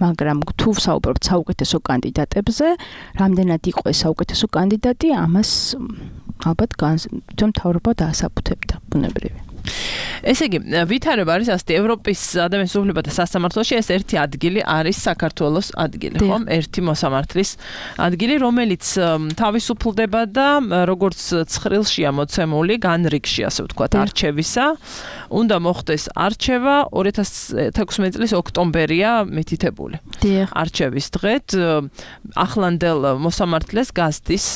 მაგრამ თუ საუბრობთ საუკეთესო კანდიდატებზე, რამდენად იყო ეს საუკეთესო კანდიდატი, ამას ალბათ თვითონ მთავრობა დაასაბუთებდა, ბუნებრივია. ესე იგი, ვითარება არის ასეთი, ევროპის ადამიანის უფლებათა სასამართლოში ეს ერთი ადგილი არის საქართველოს ადგილი, ხომ? ერთი მოსამართლის ადგილი, რომელიც თავისუფლდება და როგორც ცხრილშია მოცემული, განრიგში, ასე ვთქვათ, არჩევისა, უნდა მოხდეს არჩევა ორი ათას თექვსმეტი წლის ოქტომბერია მითითებული. არჩევის დღეთ ახლანდელ მოსამართლეს გასდის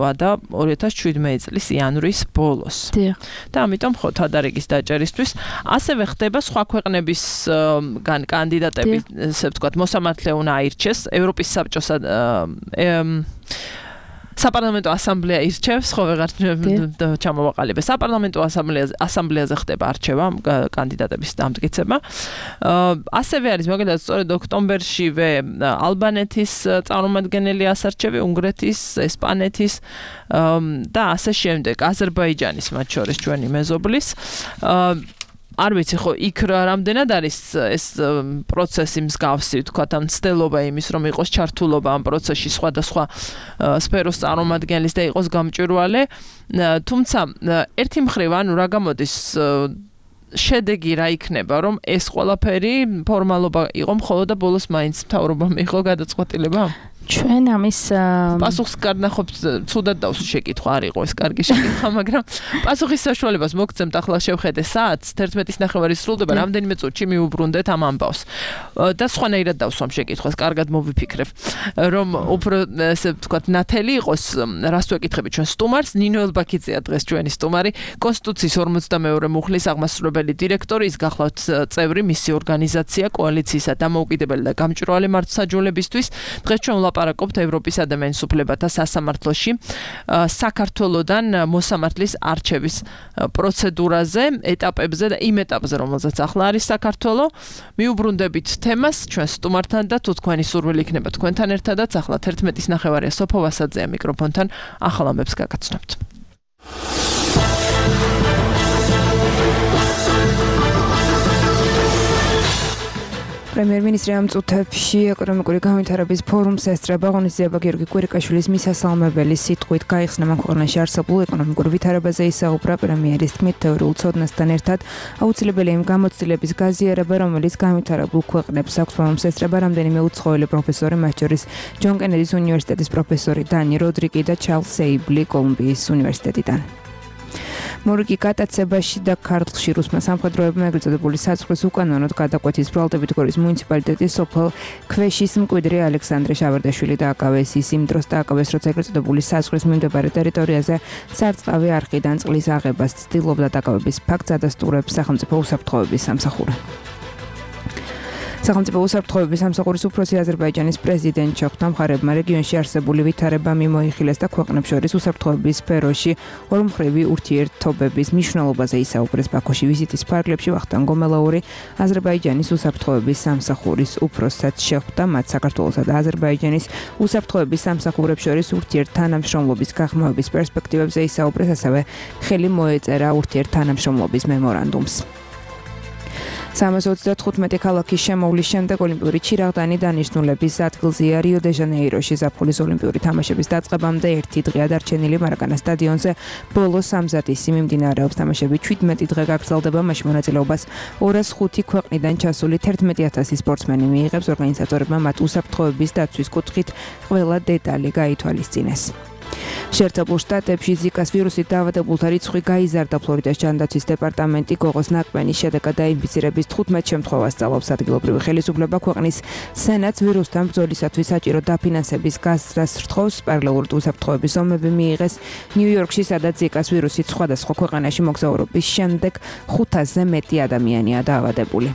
ვადა ორი ათას შვიდმეტი წლის იანვრის ბოლოს. და ამიტომ ხო თადარიგის დაჭერისთვის ასევე ხდება სხვა ქვეყნების კანდიდატები, ასე ვთქვათ, მოსამართლე უნდა აირჩეს, ევროპის საბჭოს საპარლამენტო ასამბლეა ირჩევს, ხო ვეღარ ჩამოვაყალიბე. საპარლამენტო ასამბლეაზე ასამბლეაზე ხდება არჩევა კანდიდატების დამტკიცება. ასევე არის მაგალითად სწორედ ოქტომბერშივე ალბანეთის წარმომადგენელი ასარჩევი, უნგრეთის, ესპანეთის და ასე შემდეგ, აზერბაიჯანის მათ შორის ჩვენი მეზობლის. არ ვიცი ხო იქ რამდენად არის ეს პროცესი მსგავსი, თქვათ, ამ ცდელობა იმის, რომ იყოს ჩართულობა ამ პროცესში სხვადასხვა სფეროს წარმომადგენლის და იყოს გამჭვირვალე, თუმცა ერთი მხრივ, ანუ რა გამოდის შედეგი რა იქნება, რომ ეს ყველაფერი ფორმალობა იყო მხოლოდ და ბოლოს მაინც მთავრობამ მიიღო გადაწყვეტილება? ჩვენ ამის პასუხს გარნახობთ ცუდად დავს შეკითხვა არ იყო ეს კარგი შეკითხვა მაგრამ პასუხის საშუალებას მოგცემთ ახლა შევხედე საათს თერთმეტის ნახევარი სრულდება რამდენიმე წუთში მიუბრუნდეთ ამ ამბავს და სხვანაირად დავსვამ შეკითხვას კარგად მოვიფიქრებ რომ უფრო ესე ვთქვათ ნათელი იყოს რას ვეკითხები ჩვენ სტუმარს ნინო ელბაქიძეა დღეს ჩვენი სტუმარი კონსტიტუციის ორმოცდამეორე მუხლის აღმასრულებელი დირექტორი ის გახლავთ წევრი მისი ორგანიზაცია კოალიციისა დამოუკიდებელი და გამჭვირვალე მართლმსაჯულებისთვის დღეს ჩვენ ვლაპარაკობთ ევროპის ადამიანის უფლებათა სასამართლოში საქართველოდან მოსამართლის არჩევის პროცედურაზე ეტაპებზე და იმ ეტაპზე რომელზეც ახლა არის საქართველო მიუბრუნდებით თემას ჩვენ სტუმართან და თუ თქვენი სურვილი იქნება თქვენთან ერთადაც ახლა თერთმეტის ნახევარია სოფო ვასაძეა მიკროფონთან ახალ ამბებს გაგაცნობთ პრემიერ-მინისტრი ამ წუთებში ეკონომიკური განვითარების ფორუმს ესწრება ღონისძიება გიორგი კვირიკაშვილის მისასალმებელი სიტყვით გაიხსნა მან ქვეყანაში არსებულ ეკონომიკურ ვითარებაზე ისაუბრა პრემიერის თქმით თეორიულ ცოდნასთან ერთად აუცილებელია იმ გამოცდილების გაზიარება რომელიც განვითარებულ ქვეყნებს აქვს ფორუმს ესწრება რამდენიმე უცხოელი პროფესორი მათ შორის ჯონ კენედის უნივერსიტეტის პროფესორი დანი როდრიგი და ჩარლზ ეიბლი კოლუმბიის უნივერსიტეტიდან მორიგი გატაცებაში და ქართლში რუსმა სამხედროებმა ეგრეთ წოდებული საწყის უკანონოდ გადაკვეთის ბრალდებით გორის მუნიციპალიტეტის სოფელ ქვეშის მკვიდრი ალექსანდრე შავარდაშვილი დააკავეს ის იმ დროს დააკავეს როცა ეგრეთ წოდებული საწყის მიმდებარე ტერიტორიაზე სარწყავი არხიდან წყლის აღებას ცდილობდა დაკავების ფაქტს ადასტურებს სახელმწიფო უსაფრთხოების სამსახური სახელმწიფო უსაფრთხოების სამსახურის უფროსი აზერბაიჯანის პრეზიდენტ ჩოხთა მხარეებმა რეგიონში არსებული ვითარება მიმოიხილეს და ქვეყნებს შორის უსაფრთხოების სფეროში ორმხრივი ურთიერთობების მნიშვნელობაზე ისაუბრეს ბაქოში ვიზიტის ფარგლებში ვახტანგ გომელაური აზერბაიჯანის უსაფრთხოების სამსახურის უფროსსაც შეხვდა მათ საქართველოსა და აზერბაიჯანის უსაფრთხოების სამსახურებს შორის ურთიერთთანამშრომლობის გაღრმავების პერსპექტივებზე ისაუბრეს ასევე ხელი მოეწერა ურთიერთთანამშრომლობის მემორანდუმს სამას ოცდათხუთმეტი ქალაქის შემოვლის შემდეგ ოლიმპიური ჩირაღდანი დანიშნულების ადგილზეა რიო დე ჟანეიროში ზაფხულის ოლიმპიური თამაშების დაწყებამდე ერთი დღეა დარჩენილი მარაკანას სტადიონზე ბოლო სამზადისი მიმდინარეობს თამაშები ჩვიდმეტი დღე გაგრძელდება მაშინ მონაწილეობას ორას ხუთი ქვეყნიდან ჩასული თერთმეტი ათასი სპორტსმენი მიიღებს ორგანიზატორებმა მათ უსაფრთხოების დაცვის კუთხით ყველა დეტალი გაითვალისწინეს შეერთებულ შტატებში ზიკას ვირუსით დაავადებულთა რიცხვი გაიზარდა ფლორიდას ჯანდაცვის დეპარტამენტი გოღოს ნაკბენის შედეგად დაინფიცირების თხუთმეტ შემთხვევას სწავლობს ადგილობრივი ხელისუფლება ქვეყნის სენატს ვირუსთან ბრძოლისათვის საჭირო დაფინანსების გაზრდას რთხოვს პარალელურად უსაფრთხოების ომები მიიღეს ნიუ-იორკში სადაც ზიკას ვირუსით სხვადასხვა ქვეყანაში მოგზაურობის შემდეგ ხუთასზე მეტი ადამიანია დაავადებული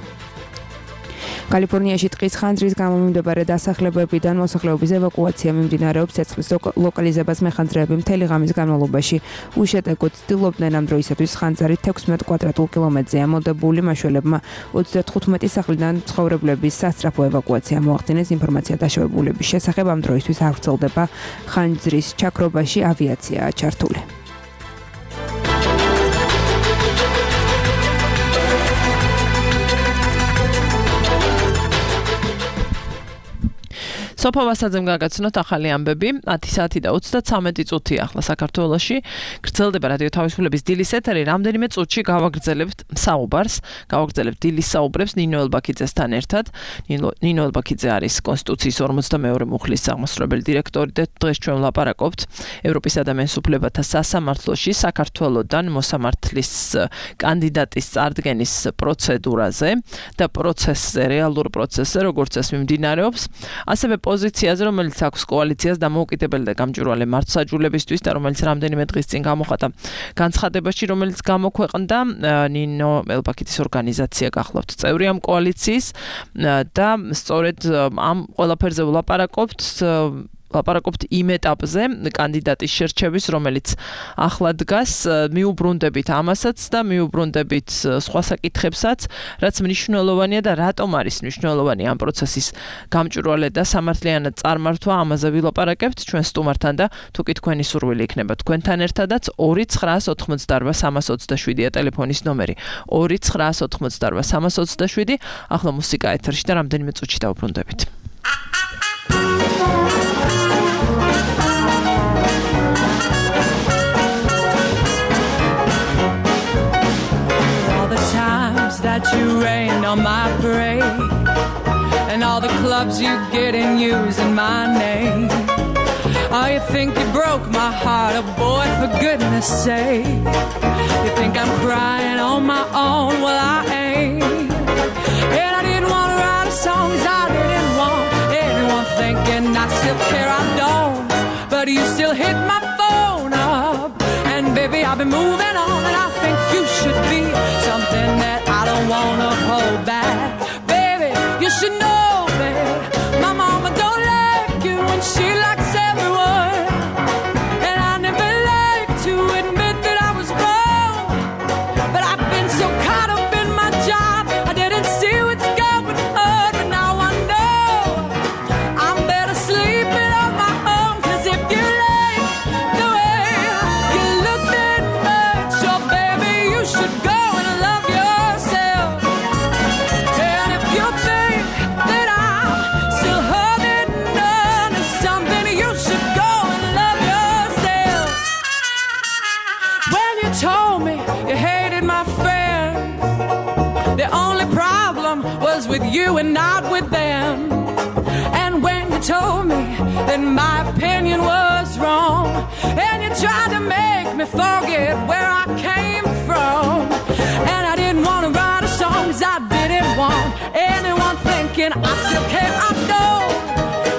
კალიფორნიაში ტყის ხანძრის გამო მიმდებარე დასახლებებიდან მოსახლეობის ევაკუაცია მიმდინარეობს ცეცხლის ლოკალიზებას მეხანძრეები მთელი ღამის განმავლობაში უშედეგოდ ცდილობდნენ ამ დროისათვის ხანძარი თექვსმეტ კვადრატულ კილომეტრზე ამოდებული მაშველებმა ოცდათხუთმეტი სახლიდან ცხოვრებლების სასწრაფო ევაკუაცია მოახდინეს ინფორმაცია დაშავებულების შესახებ ამ დროისთვის არ ვრცელდება ხანძრის ჩაქრობაში ავიაციაა ჩართული სოფო ვასაძემ გაგაცნოთ ახალი ამბები ათი საათი და ოცდაცამეტი წუთი ახლა საქართველოში გრძელდება რადიო თავისუფლების დილის ეთერი რამდენიმე წუთში გავაგრძელებთ საუბარს გავაგრძელებთ დილის საუბრებს ნინო ელბაქიძესთან ერთად ნინო ელბაქიძე არის კონსტიტუციის ორმოცდამეორე მუხლის აღმასრულებელი დირექტორი და დღეს ჩვენ ვლაპარაკობთ ევროპის ადამიანის უფლებათა სასამართლოში საქართველოდან მოსამართლის კანდიდატის წარდგენის პროცედურაზე და პროცესზე რეალურ პროცესზე როგორც ეს მიმდინარეობს ასევე პოზიციაზე, რომელიც აქვს კოალიციას დამოუკიდებელი და გამჭვირვალე მართლმსაჯულებისთვის და რომელიც რამდენიმე დღის წინ გამოხატა განცხადებაში, რომელიც გამოქვეყნდა ნინო ელბაქიძის ორგანიზაცია გახლავთ წევრი ამ კოალიციის და სწორედ ამ ყველაფერზე ვლაპარაკობთ ლაპარაკობთ იმ ეტაპზე კანდიდატის შერჩევის, რომელიც ახლა დგას, მიუბრუნდებით ამასაც და მიუბრუნდებით სხვა საკითხებსაც, რაც მნიშვნელოვანია და რატომ არის მნიშვნელოვანი ამ პროცესის გამჭვირვალე და სამართლიანად წარმართვა, ამაზე ვილაპარაკებთ ჩვენ სტუმართან და თუკი თქვენი სურვილი იქნება თქვენთან ერთადაც ორი ცხრაას ოთხმოცდაარბა სამას ოცდაშვიდია ტელეფონის ნომერი ორი ცხრაას ოთხმოცდაარბა სამას ოცდაშვიდი ახლა მუსიკა ეთერში და რამდენიმე წუთში დავუბრუნდებით. That you rained on my parade and all all the clubs you get in using my name. Oh, you think you broke my heart, oh boy, for goodness sake. You think I'm crying on my own, well I ain't. And I didn't want to write a song, 'cause I didn't want anyone thinking I still care, I don't. But you still hit my phone up, and baby I've been moving on, and I think you should be something that I don't want to hold back. Baby, you should know that my mama don't like you, and she likes everyone. And I never like to admit that I was wrong, but I've been so caught up in my job, I didn't see what's going on, but now I know I'm better sleeping on my own. 'Cause if you like the way you look that much, oh baby, you should go and love yourself. And if you think that I'm still holding on to something, you should go and love yourself. When you told me you hated my friend, the only problem was with you and not with them. And when you told me that my opinion was wrong, and you tried to make me forget where I came from, and I didn't want to write a song, 'cause I didn't want anyone thinking I still care, I know.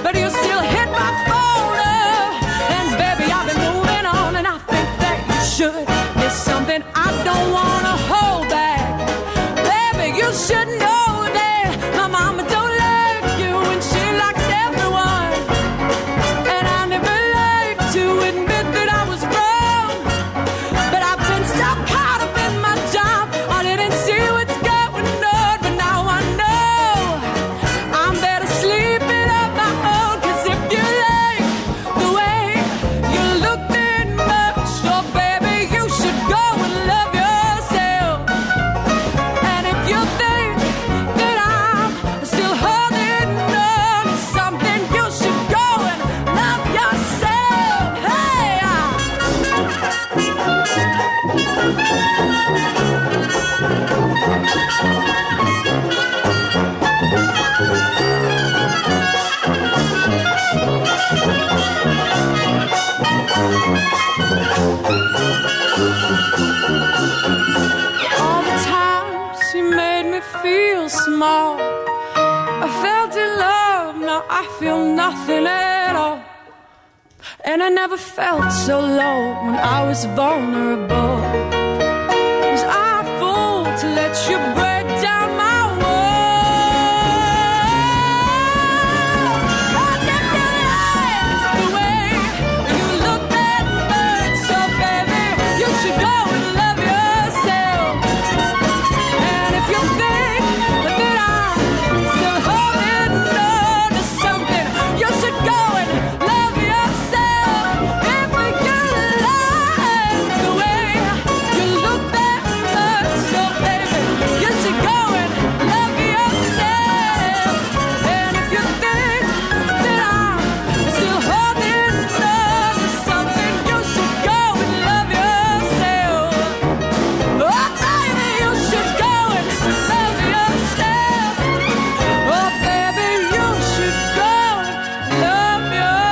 But you still hit my phone up, and baby I've been moving on, and I think that you should. There's something I don't want to hold back. Baby, you should know that my mama don't like you, and she likes everyone. And I never like to admit that I was wrong, but I've been so caught up in my job, I didn't see what's going on, but now I know I'm better sleeping on my own. 'Cause if you like the way you look that much, oh baby, you should go and love yourself. And if you think that I'm still holding on to something, you should go and love yourself. Hey, all the times you made me feel small, I felt in love, now I feel nothing at all. And I never felt so low when I was vulnerable. Was I a fool to let you break down my world? And if you like the way you look that much, so baby, you should go and love yourself. And if you think that I'm still holding on to something, you should go and love yourself. If you like the way you look that much, so baby, you should go and love yourself. And if you think that I'm still holding on to something, you should go and love yourself. Oh baby, you should go and love yourself. Oh baby, you should go and love yourself.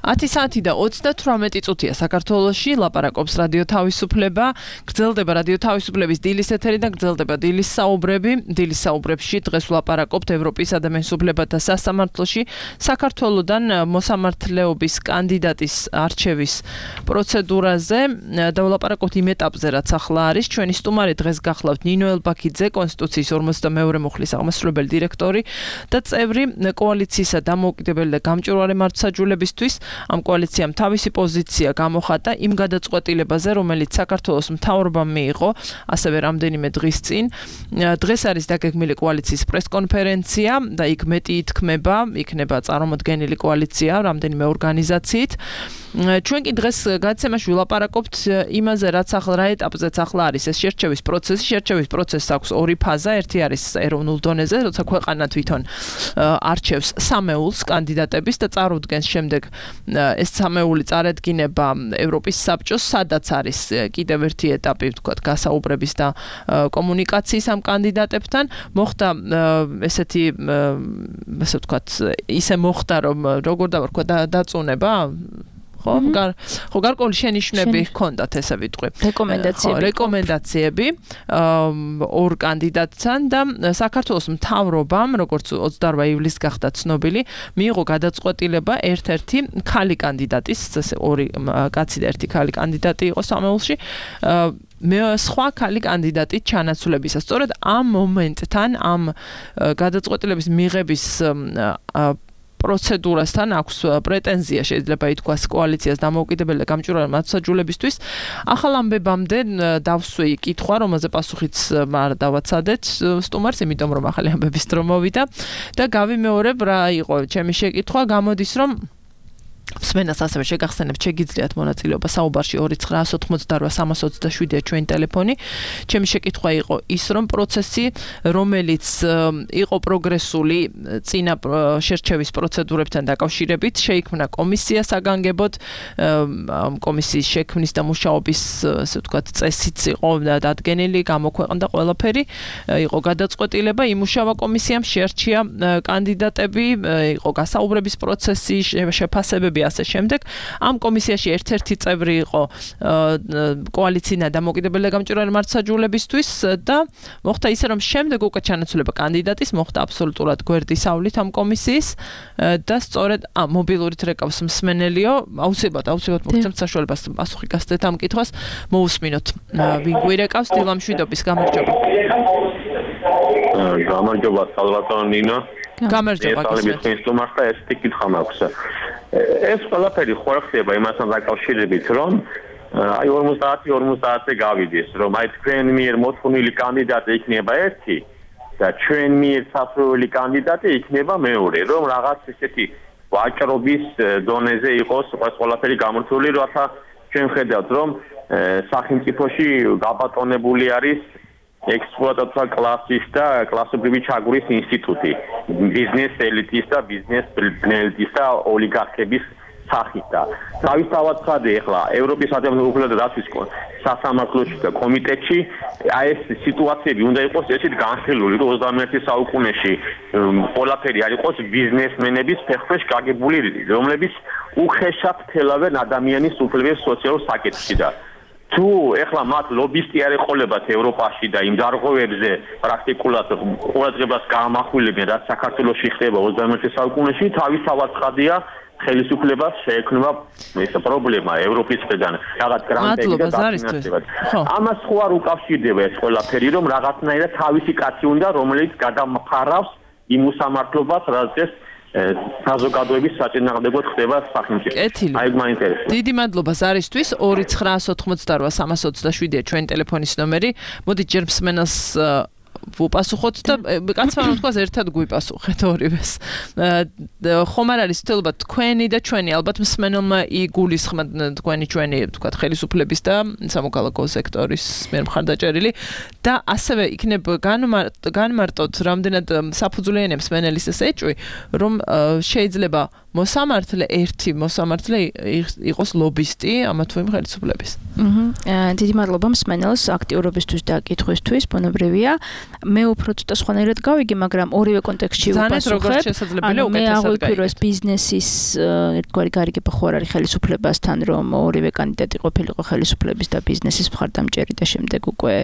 ათი საათი და ოცდათვრამეტი წუთია საქართველოში, ლაპარაკობს რადიო თავისუფლება, გრძელდება რადიო თავისუფლების დილის ეთერი და გრძელდება დილის საუბრები. დილის საუბრებში დღეს ვლაპარაკობთ ევროპის ადამიანის უფლებათა სასამართლოში საქართველოდან მოსამართლეობის კანდიდატის არჩევის პროცედურაზე და ვლაპარაკობთ იმ ეტაპზე, რაც ახლა არის. ჩვენი სტუმარი დღეს გახლავთ ნინო ელბაქიძე, კონსტიტუციის ორმოცდამეორე მუხლის აღმასრულებელი დირექტორი და წევრი კოალიციისა დამოუკიდებელი და გამჭვირვალე მართლმსაჯულებისთვის. ამ კოალიციამ თავისი პოზიცია გამოხატა იმ გადაწყვეტილებაზე, რომელიც საქართველოს მთავრობამ მიიღო, ასევე რამდენიმე დღის წინ. დღეს არის დაგეგმილი კოალიციის პრესკონფერენცია და იქ მეტი ითქმება, იქნება წარმოდგენილი კოალიცია რამდენიმე ორგანიზაციით. ჩვენ კი დღეს გადაცემაში ვილაპარაკობთ იმაზე, რაც ახლა რა ეტაპზეც ახლა არის ეს შერჩევის პროცესი. შერჩევის პროცესს აქვს ორი ფაზა. ერთი არის ეროვნულ დონეზე, როცა ქვეყანა თვითონ არჩევს სამეულს კანდიდატების და წარუდგენს შემდეგ ეს სამეული წარედგინება ევროპის საბჭოს, სადაც არის კიდევ ერთი ეტაპი, ვთქვათ, გასაუბრების და კომუნიკაციის ამ კანდიდატებთან. მოხდა ესეთი ესე ვთქვათ, ისე მოხდა, რომ როგორ დავარქვა დაწუნება ხო გარ ხო გარკვეული შენიშვნები ჰქონდათ ესე ვიტყვი რეკომენდაციები რეკომენდაციები ორ კანდიდატთან და საქართველოს მთავრობამ როგორც ოცდაორ ივლისს გახდა ცნობილი მიიღო გადაწყვეტილება ერთ-ერთი ქალი კანდიდატის ორი კაცი და ერთი ქალი კანდიდატი იყო სამეულში მე სხვა ქალი კანდიდატი ჩანაცვლებისა. სწორედ ამ მომენტთან ამ გადაწყვეტილების მიღების პროცედურასთან აქვს პრეტენზია შეიძლება ითქვას კოალიციას დამოუკიდებელი და გამჭვირვალე მართლმსაჯულებისთვის. ახალ ამბებამდე დავსვი კითხვა, რომელზე პასუხიც არ დავაცადეთ სტუმარს, იმიტომ რომ ახალი ამბების დრო მოვიდა და გავიმეორებ რა იყო ჩემი შეკითხვა, გამოდის რომ მსმენელს ასევე შეგახსენებთ შეგიძლიათ მონაწილეობა საუბარში ორი ცხრაას ოთხმოცდაორ სამას ოცდაშვიდია ჩვენი ტელეფონი. ჩემი შეკითხვა იყო ის რომ პროცესი რომელიც იყო პროგრესული წინა შერჩევის პროცედურებთან დაკავშირებით შეიქმნა კომისია საგანგებოდ კომისიის შექმნის და მუშაობის ასე ვთქვათ წესიც იყო დადგენილი გამოქვეყნდა ყველაფერი იყო გადაწყვეტილება იმუშავა კომისიამ შეარჩია კანდიდატები იყო გასაუბრების პროცესი შეფასებები ასე შემდეგ ამ კომისიაში ერთ-ერთი წევრი იყო კოალიცია დამოუკიდებელი და გამჭვირვალე მართლმსაჯულებისთვის და მოხდა ისე რომ შემდეგ უკვე ჩანაცვლება კანდიდატის მოხდა აბსოლუტურად გვერდისავლით ამ კომისიის და სწორედ ამ მობილურით რეკავს მსმენელიო აუცილებლად აუცილებლად მოგცემთ საშუალებას პასუხი გასცეთ ამ კითხვას მოусმინოთ ვინ გვირეკავს დილამშვიდობის გამარჯობა გამარჯობა სალვატო ნინო გამარჯობა გესმის სტუმართა ეს კითხვა მაქვს ეს ყველაფერი ხო ხდება იმასთან დაკავშირებით რომ აი ორმოცდაათი ორმოცდაათზე გავიდეს რომ აი თქვენ მიერ მოთხოვნილი კანდიდატი იქნება ერთი და ჩვენ მიერ სასურველი კანდიდატი იქნება მეორე რომ რაღაც ესეთი ვაჭრობის დონეზე იყოს ყველაფერი გამართული რათა ჩვენ ხედავთ რომ სახელმწიფოში გაბატონებული არის ექსპლუატაცია კლასის და კლასობრივი ჩაგვრის ინსტიტუტი ბიზნეს ელიტის და ბიზნეს ბნელდის და ოლიგარქების სახით და თავისთავად ხადე ახლა ევროპის ადამიანთა უფლებათა დაცვის სასამართლოში და კომიტეტში აი ეს სიტუაციები უნდა იყოს ესეთ განხილული რომ ოცდამეერთე საუკუნეში ყველაფერი არ იყოს ბიზნესმენების ფეხქვეშ გაგებული რომლებიც უხეშად თელავენ ადამიანის უფლებების სოციალურ საკითხში და თუ ეხლა მათ ლობისტი არ ეყოლებათ ევროპაში და იმ დარღვევებზე პრაქტიკულად ყურადღებას გაამახვილებენ რაც საქართველოში ხდება ოცდამეერთე საუკუნეში თავისთავად ხადია ხელისუფლებას შეექმნება ეს პრობლემა ევროპის მხრიდან რაღაც გრანტები და დაფინანსება. ამას ხო არ უკავშირდება ეს ყველაფერი რომ რაღაცნაირად თავისი კაცი უნდა რომელიც გადამფარავს იმ უსამართლობას რაც საზოგადოების საწინააღმდეგოდ ხდება სახელმწიფოში. აი მაინტერესებს. დიდი მადლობა ზარისთვის ორი ცხრაას ოთხმოცდაორ სამას ოცდაშვიდია ჩვენი ტელეფონის ნომერი. მოდით ჯერ მსმენელს ვუპასუხოთ და კაცმა რომ თქვას ერთად გვიპასუხეთ ორივეს. ხომ არ არის თელობა თქვენი და ჩვენი ალბათ მსმენელმა იგულისხმა თქვენი ჩვენი თქვა ხელისუფლების და სამოქალაქო სექტორის მიერ მხარდაჭერილი და ასევე იქნებ განმარტოთ რამდენად საფუძვლიანია მსმენელის ეს ეჭვი რომ შეიძლება მოსამართლე ერთი მოსამართლე იყოს ლობისტი ამა თუ იმ ხელისუფლების. აჰა. დიდი მადლობა მსმენელს აქტიურობისთვის და კითხვისთვის, ბუნებრივია. მე უფრო ცოტა სხვანაირად გავიგე, მაგრამ ორივე კონტექსტში ვუპასუხებ. ანუ მე აღვიქვირო ეს ბიზნესის ერთგვარი გარიგება ხო არ არის ხელისუფლებასთან, რომ ორივე კანდიდატი ყოფილიყო ხელისუფლების და ბიზნესის მხარდამჭერი და შემდეგ უკვე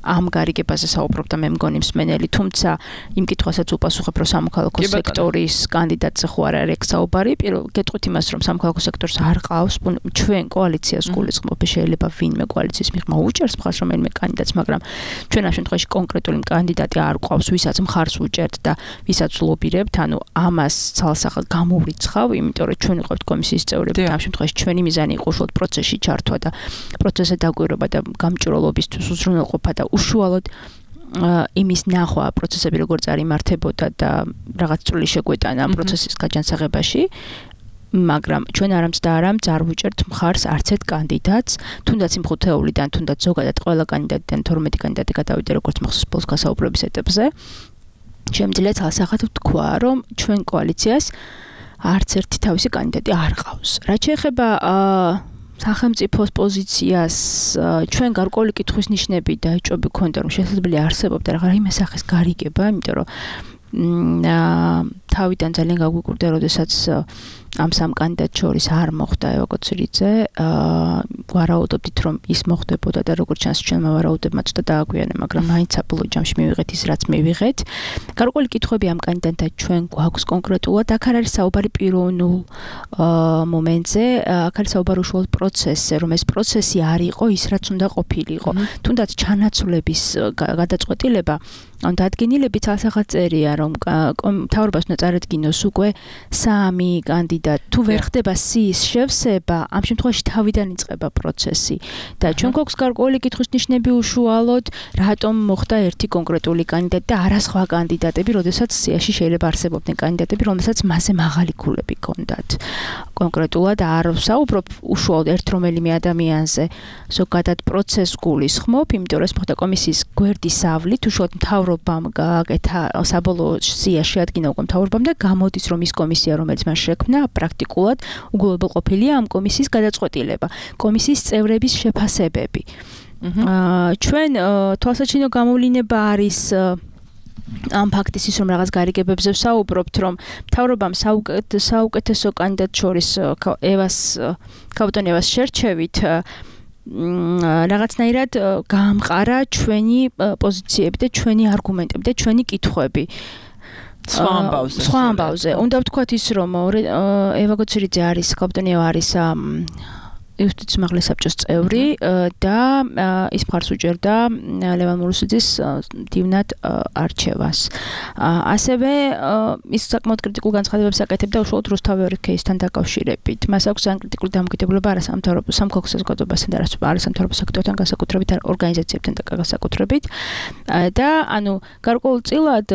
ამ გარიგებაზე საუბრობ და მე მგონი მსმენელი, თუმცა იმ კითხვასაც ვუპასუხებ, რომ სამოქალაქო სექტორის კანდიდატზე ხო არ არის საუბარი. პირველ გეტყვით იმას, რომ სამოქალაქო სექტორს არ ყავს ჩვენ კოალიციას გულისხმობ, შეიძლება ვინმე კოალიციის მიღმა უჭერს მხარს რომელიმე კანდიდატს, მაგრამ ჩვენ ამ შემთხვევაში კონკრეტული კანდიდატი არ ყავს, ვისაც მხარს უჭერთ და ვისაც ლობირებთ, ანუ ამას ცალსახად გამოვრიცხავ, იმიტომ რომ ჩვენ ვიყავთ კომისიის წევრები, ამ შემთხვევაში ჩვენი მიზანი იყო უშუალოდ პროცესში ჩართვა და პროცესზე დაგვირობა და გამჭვირვალობისთვის უზრუნველყოფა და უშუალოდ იმის ნახვა პროცესები როგორ წარიმართებოდა და რაღაც წვლილი შეგვეტანა ამ პროცესის გაჯანსაღებაში. მაგრამ ჩვენ არამც და არამც არ ვუჭერთ მხარს არც ერთ კანდიდატს, თუნდაც იმ ხუთეულიდან, თუნდაც ზოგადად ყველა კანდიდატიდან თორმეტი კანდიდატი გადავიდა როგორც მახსოვს ბოლოს გასაუბრების ეტაპზე. შემიძლია ცალსახად ვთქვა, რომ ჩვენ კოალიციას არც ერთი თავისი კანდიდატი არ ყავს. რაც შეეხება სახელმწიფოს პოზიციას, ჩვენ გარკვეული კითხვის ნიშნები და ეჭვები ქონდა, რომ შესაძლებელი არსებობდა რაღაც იმ სახის გარიგება, იმიტომ რომ თავიდან ძალიან გაგვიკვირდა, როდესაც ამ სამ კანდიდატს შორის არ მოხდა ევაკუაციაზე, ვარაუდობდით, რომ ის მოხდებოდა და როგორც ჩანს ჩვენმა ვარაუდებმა ცოტა დააგვიანე, მაგრამ მაინც საბოლოო ჯამში მივიღეთ ის, რაც მივიღეთ. გარკვეული კითხვები ამ კანდიდატთან ჩვენ გვაქვს კონკრეტულად, აქ არ არის საუბარი პიროვნულ მომენტზე, აქ არის საუბარი უშუალოდ პროცესზე, რომ ეს პროცესი არ იყო ის, რაც უნდა ყოფილიყო. თუნდაც ჩანაცვლების გადაწყვეტილება ან დადგენილები ცალსახად წერია, რომ მთავრობას უნდა წარადგინოს უკვე სამი კანდიდატი. თუ ვერ ხდება სიის შევსება, ამ შემთხვევაში თავიდან იწყება პროცესი. და ჩვენ გვაქვს გარკვეული კითხვის ნიშნები უშუალოდ, რატომ მოხდა ერთი კონკრეტული კანდიდატი და არა სხვა კანდიდატები, როდესაც სიაში შეიძლება არსებობდნენ კანდიდატები, რომელსაც მასზე მაღალი ქულები ჰქონდათ. კონკრეტულად არ ვსაუბრობ უშუალოდ ერთ რომელიმე ადამიანზე, ზოგადად პროცესს გულისხმობ, იმიტომ რომ ეს მოხდა კომისიის გვერდის ავლით, უშუალოდ მთავრობამ გააკეთა საბოლოო სია შეადგინა უკვე მთავრობამ და გამოდის, რომ ის კომისია, რომელიც მან შექმნა, პრაქტიკულად უგულებელყოფილია ამ კომისიის გადაწყვეტილება, კომისიის წევრების შეფასებები. ჩვენ თვალსაჩინო გამოვლინება არის ამ ფაქტის ის, რომ რაღაც გარიგებებზე ვსაუბრობთ, რომ მთავრობამ საუკეთესო კანდიდატს შორის ევას ქავტონ ევას შერჩევით რაღაცნაირად გაამყარა ჩვენი პოზიციები და ჩვენი არგუმენტები და ჩვენი კითხვები. სხვა ამბავზე. სხვა ამბავზე. უნდა ვთქვათ ის, რომ ევაკუაციძე არის, ქავტონია არის იუსტიციის უმაღლეს საბჭოს წევრი და ის მხარს უჭერდა ლევან მურუსიძის მდივნად არჩევას. ასევე ის საკმაოდ კრიტიკულ განცხადებებს აკეთებდა უშუალოდ რუსთავი ორი кейსთან დაკავშირებით. მას აქვს ძალიან კრიტიკული დამოკიდებულება არასამთავრობო სამხელო საზოგადოებასთან და არასამთავრობო სექტორთან განსაკუთრებით, ორგანიზაციებთან განსაკუთრებით. და ანუ გარკვეულწილად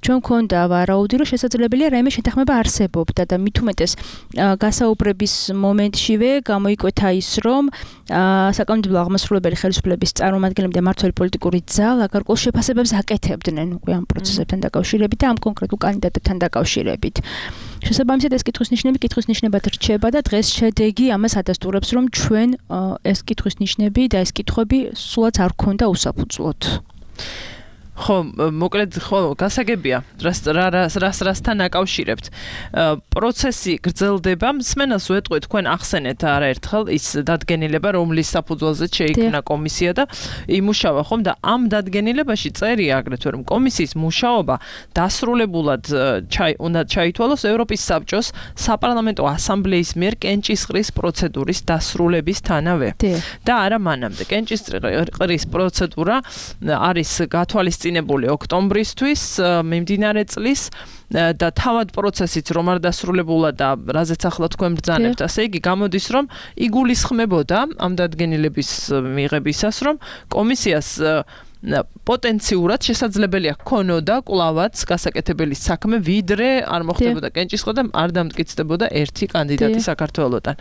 ჩვენ გვქონდა ვარაუდი, რომ შესაძლებელია რაიმე შეთანხმება არსებობდა და მით უმეტეს გასაუბრების მომენტშივე გამოიკვეთა ის, რომ საკანონმდებლო აღმასრულებელი ხელისუფლების წარმომადგენლები და მმართველი პოლიტიკური ძალა გარკვეულ შეფასებებს აკეთებდნენ უკვე ამ პროცესებთან დაკავშირებით და ამ კონკრეტულ კანდიდატებთან დაკავშირებით. შესაბამისად ეს კითხვის ნიშნები კითხვის ნიშნებად რჩება და დღეს შედეგი ამას ადასტურებს, რომ ჩვენ ეს კითხვის ნიშნები და ეს კითხვები სულაც არ გქონდა უსაფუძვლოდ. ხო, მოკლედ ხო, გასაგებია, რას რას რასთან აკავშირებთ. პროცესი გრძელდება, მსმენელს ვეტყვი, თქვენ ახსენეთ არაერთხელ ის დადგენილება, რომლის საფუძველზე შეიქმნა კომისია და იმუშავა, ხომ და ამ დადგენილებაში წერია აგრეთვე, რომ კომისიის მუშაობა დასრულებულად უნდა ჩაითვალოს ევროპის საბჭოს საპარლამენტო ასამბლეის მიერ კენჭისყრის პროცედურის დასრულებისთანავე. და არა მანამდე. კენჭისყრის პროცედურა არის გათვალისწინებული ოქტომბრისთვის მიმდინარე წლის და თავად პროცესიც რომ არ დასრულებულა და რაზეც ახლა თქვენ ბრძანებთ, ასე იგი გამოდის, რომ იგულისხმებოდა ამ დადგენილების მიღებისას, რომ კომისიას პოტენციურად შესაძლებელია ქონოდა კვლავაც გასაკეთებელი საქმე, ვიდრე არ მოხდებოდა კენჭისყრა და არ დამტკიცდებოდა ერთი კანდიდატი საქართველოსთან.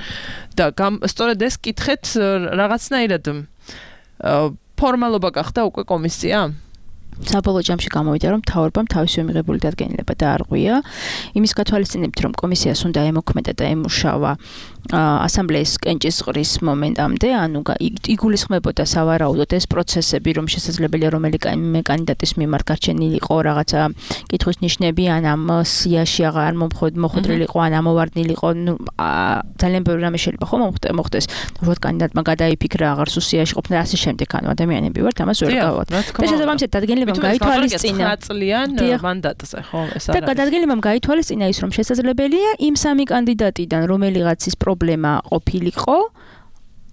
და სწორედ ეს კითხეთ რაღაცნაირად ფორმალობა გახდა უკვე კომისია? საბოლოო ჯამში გამოვიდა, რომ მთავრობამ თავისივე მიღებული დადგენილება დაარღვია. იმის გათვალისწინებით, რომ კომისიას უნდა ემოქმედა და ემუშავა ასამბლეის კენჭისყრის მომენტამდე, ანუ იგულისხმებოდა სავარაუდოდ ეს პროცესები, რომ შესაძლებელია რომელი კანდიდატის მიმართ გარჩენილიყო რაღაცა კითხვის ნიშნები, ან ამ სიაში აღარ მოხვედრილიყო, ან ამოვარდნილიყო, ძალიან ბევრი რამე შეიძლება ხო მოხდეს. უბრალოდ კანდიდატმა გადაიფიქრა, აღარ სულ სიაში ყოფნა და ასე შემდეგ, ანუ ადამიანები ვართ, ამას ვერ გავავთ. და შესაბამისად დადგენილებამ გაითვალისწინა წლიან მანდატზე, ხო, ეს არის. და დადგენილებამ გაითვალისწინა ის, რომ შესაძლებელია იმ სამი კანდიდატიდან რომელიღაცის პრობლემა ყოფილიყო,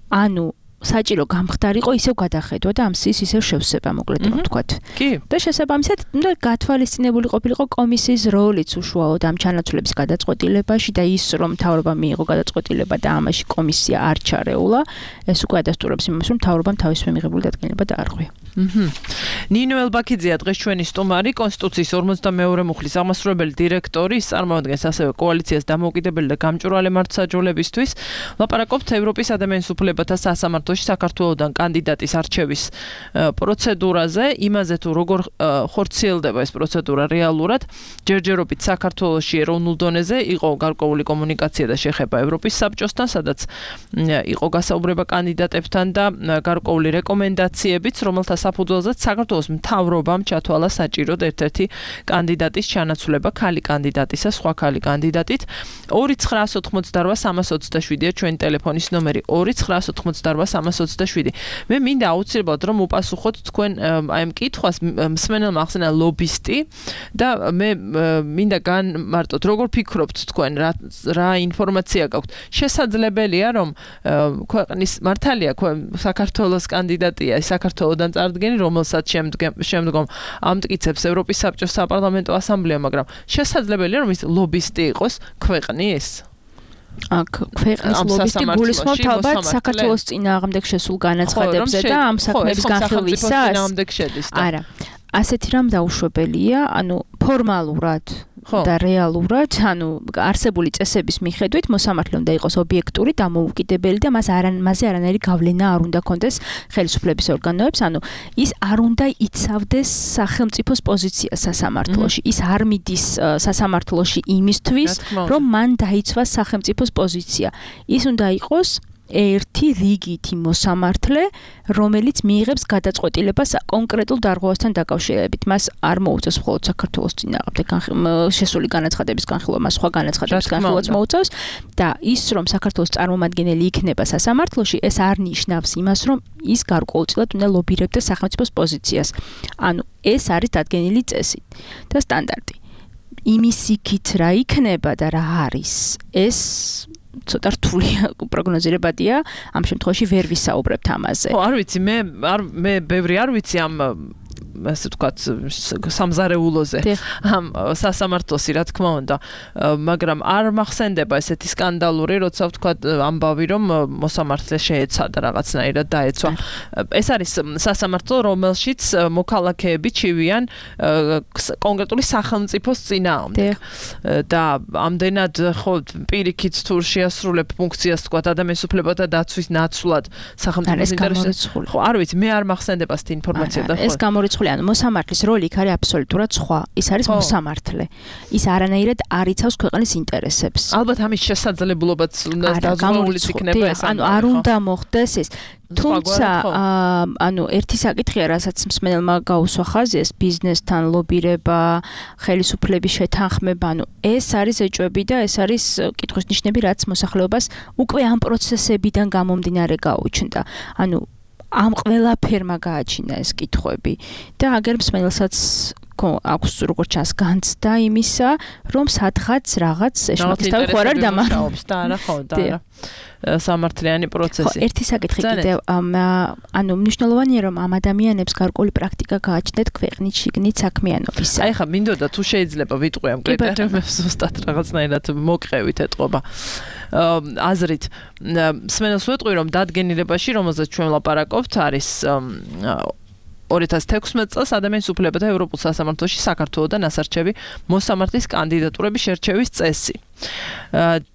ანუ საჭირო გამხდარიყო, ისევ გადახედვა და ამ სიის ისევ შევსება, მოკლედ რომ ვთქვათ. კი. და შესაბამისად, უნდა გათვალისწინებული ყოფილიყო კომისიის როლიც უშუალოდ ამ ჩანაცვლების გადაწყვეტილებაში და ის, რომ მთავრობამ მიიღო გადაწყვეტილება და ამაში კომისია არ ჩარეულა, ეს უკვე ადასტურებს იმას, რომ მთავრობამ თავისუფლად მიღებული დადგენილება დაარღვია. ნინო ელბაქიძეა დღეს ჩვენი სტუმარი, კონსტიტუციის ორმოცდამეორე მუხლის აღმასრულებელი დირექტორი, წარმოადგენს ასევე კოალიციას დამოუკიდებელი და გამჭვირვალე მართლმსაჯულებისთვის. ლაპარაკობთ ევროპის ადამიანის უფლებათა სასამართლოში საქართველოსთან კანდიდატის არჩევის პროცედურაზე, იმაზე თუ როგორ ხორციელდება ეს პროცედურა რეალურად. ჯერჯერობით საქართველოში ეროვნულ დონეზე იყო გარკვეული კომუნიკაცია და შეხება ევროპის საბჭოსთან, სადაც იყო გასაუბრება კანდიდატებთან და გარკვეული რეკომენდაციებიც, რომელთა საფუძველზეც საქართველოს მთავრობამ ჩათვალა საჭიროდ ერთ-ერთი კანდიდატის ჩანაცვლება, ქალი კანდიდატისა, სხვა ქალი კანდიდატით. ორი ცხრაას ოთხმოცდარვა სამას ოცდაშვიდია ჩვენი ტელეფონის ნომერი ორი ცხრაას ოთხმოცდარვა სამას ოცდაშვიდი. მე მინდა აუცილებლად რომ უპასუხოთ თქვენ აი ამ კითხვას მსმენელმა ახსენა ლობისტი და მე მინდა განმარტოთ როგორ ფიქრობთ თქვენ რა რა ინფორმაცია გაქვთ. შესაძლებელია რომ ქვეყნის მართალია საქართველოს კანდიდატია საქართველოსთან წარდგენი, რომელსაც შემდგომ ამტკიცებს ევროპის საბჭოს საპარლამენტო ასამბლეა, მაგრამ შესაძლებელია რომ ის ლობისტი იყოს ქვეყნის? აქ ქვეყნის ლობისტი გულისხმობთ ალბათ საქართველოს წინააღმდეგ შესულ განაცხადებებზე და ამ საქმეების განხილვისას? არა. ასეთი რამ დაუშვებელია, ანუ ფორმალურად და რეალურად, ანუ არსებული წესების მიხედვით მოსამართლე უნდა იყოს ობიექტური, დამოუკიდებელი და მას არან მასზე არანაირი გავლენა არ უნდა კონდეს ხელისუფლების ორგანოებს, ანუ ის არ უნდა იცავდეს სახელმწიფოს პოზიციას სასამართლოში. ის არ მიდის სასამართლოში იმისთვის, რომ მან დაიცვას სახელმწიფოს პოზიცია. ის უნდა იყოს ერთი რიგითი მოსამართლე, რომელიც მიიღებს გადაწყვეტილებას კონკრეტულ დარღვევასთან დაკავშირებით. მას არ მოუწევს მხოლოდ საქართველოს წინააღმდეგ შესული განაცხადების განხილვა, მას სხვა განაცხადების განხილვაც მოუწევს და ის რომ საქართველოს წარმომადგენელი იქნება სასამართლოში, ეს არ ნიშნავს იმას, რომ ის გარკვეულწილად უნდა ლობირებდეს სახელმწიფოს პოზიციას. ანუ ეს არის დადგენილი წესი და სტანდარტი. იმის იქით რა იქნება და რა არის, ეს ცოტა რთული პროგნოზირებადია, ამ შემთხვევაში ვერ ვისაუბრებთ ამაზე. ხო, არ ვიცი, მე არ მე ბევრი არ ვიცი ამ ასე ვთქვათ სამზარეულოზე ამ სასამართლოსი რა თქმა უნდა, მაგრამ არ მახსენდება ესეთი სკანდალური, როცა ვთქვათ ამბავი რომ მოსამართლე შეეცადა რაღაცნაირად დაეცვა. ეს არის სასამართლო, რომელშიც მოქალაქეები ჩივიან კონკრეტული სახელმწიფოს წინააღმდეგ და ამდენად ხო პირიქით თუ შეასრულებ ფუნქციას ვთქვათ ადამიანის უფლებათა დაცვის ნაცვლად სახელმწიფოს ინტერესებში. ხო, არ ვიცი, მე არ მახსენდება ეს ინფორმაცია და ხო. ეს გამორიცხული ანუ მოსამართლის როლი იქ არის აბსოლუტურად სხვა. ის არის მოსამართლე. ის არანაირად არ იცავს ქვეყნის ინტერესებს. ალბათ ამის შესაძლებლობაც უნდა დაზღვეულიც იქნება ეს. ანუ არ უნდა მოხდეს ეს. თუმცა ანუ ერთი საკითხია, რასაც მსმენელმა გაუსვა ხაზი, ეს ბიზნესთან ლობირება, ხელისუფლების შეთანხმება, ანუ ეს არის ეჭვები და ეს არის კითხვის ნიშნები, რაც მოსახლეობას უკვე ამ პროცესებიდან გამომდინარე გაუჩნდა. ანუ ამ ყველაფერმა გააჩინა ეს კითხვები და აგერ მსმენელსაც აქვს როგორც ჩანს განცდა იმისა, რომ სადღაც რაღაც ეშმაკის თავი ხო არ არის დამახსოვრებს და არა ხო და არა სამართლიანი პროცესი. ხო, ერთი საკითხი კიდევ, ანუ მნიშვნელოვანია რომ ამ ადამიანებს გარკვეული პრაქტიკა გააჩნდეთ ქვეყნის შიგნით საქმიანობისა. აი ხა მინდოდა თუ შეიძლება ვიტყვი ამ კრიტერიუმებს ზუსტად რაღაცნაირად მოყევით ეტყობა. აზრით მსმენელს ვეტყვი რომ დადგენილებაში, რომელზეც ჩვენ ვლაპარაკობთ, არის ორი ათას თექვსმეტ წელს ადამიანის უფლებათა ევროპულ სასამართლოში საქართველოსთან ასარჩევი მოსამართლის კანდიდატურების შერჩევის წესი.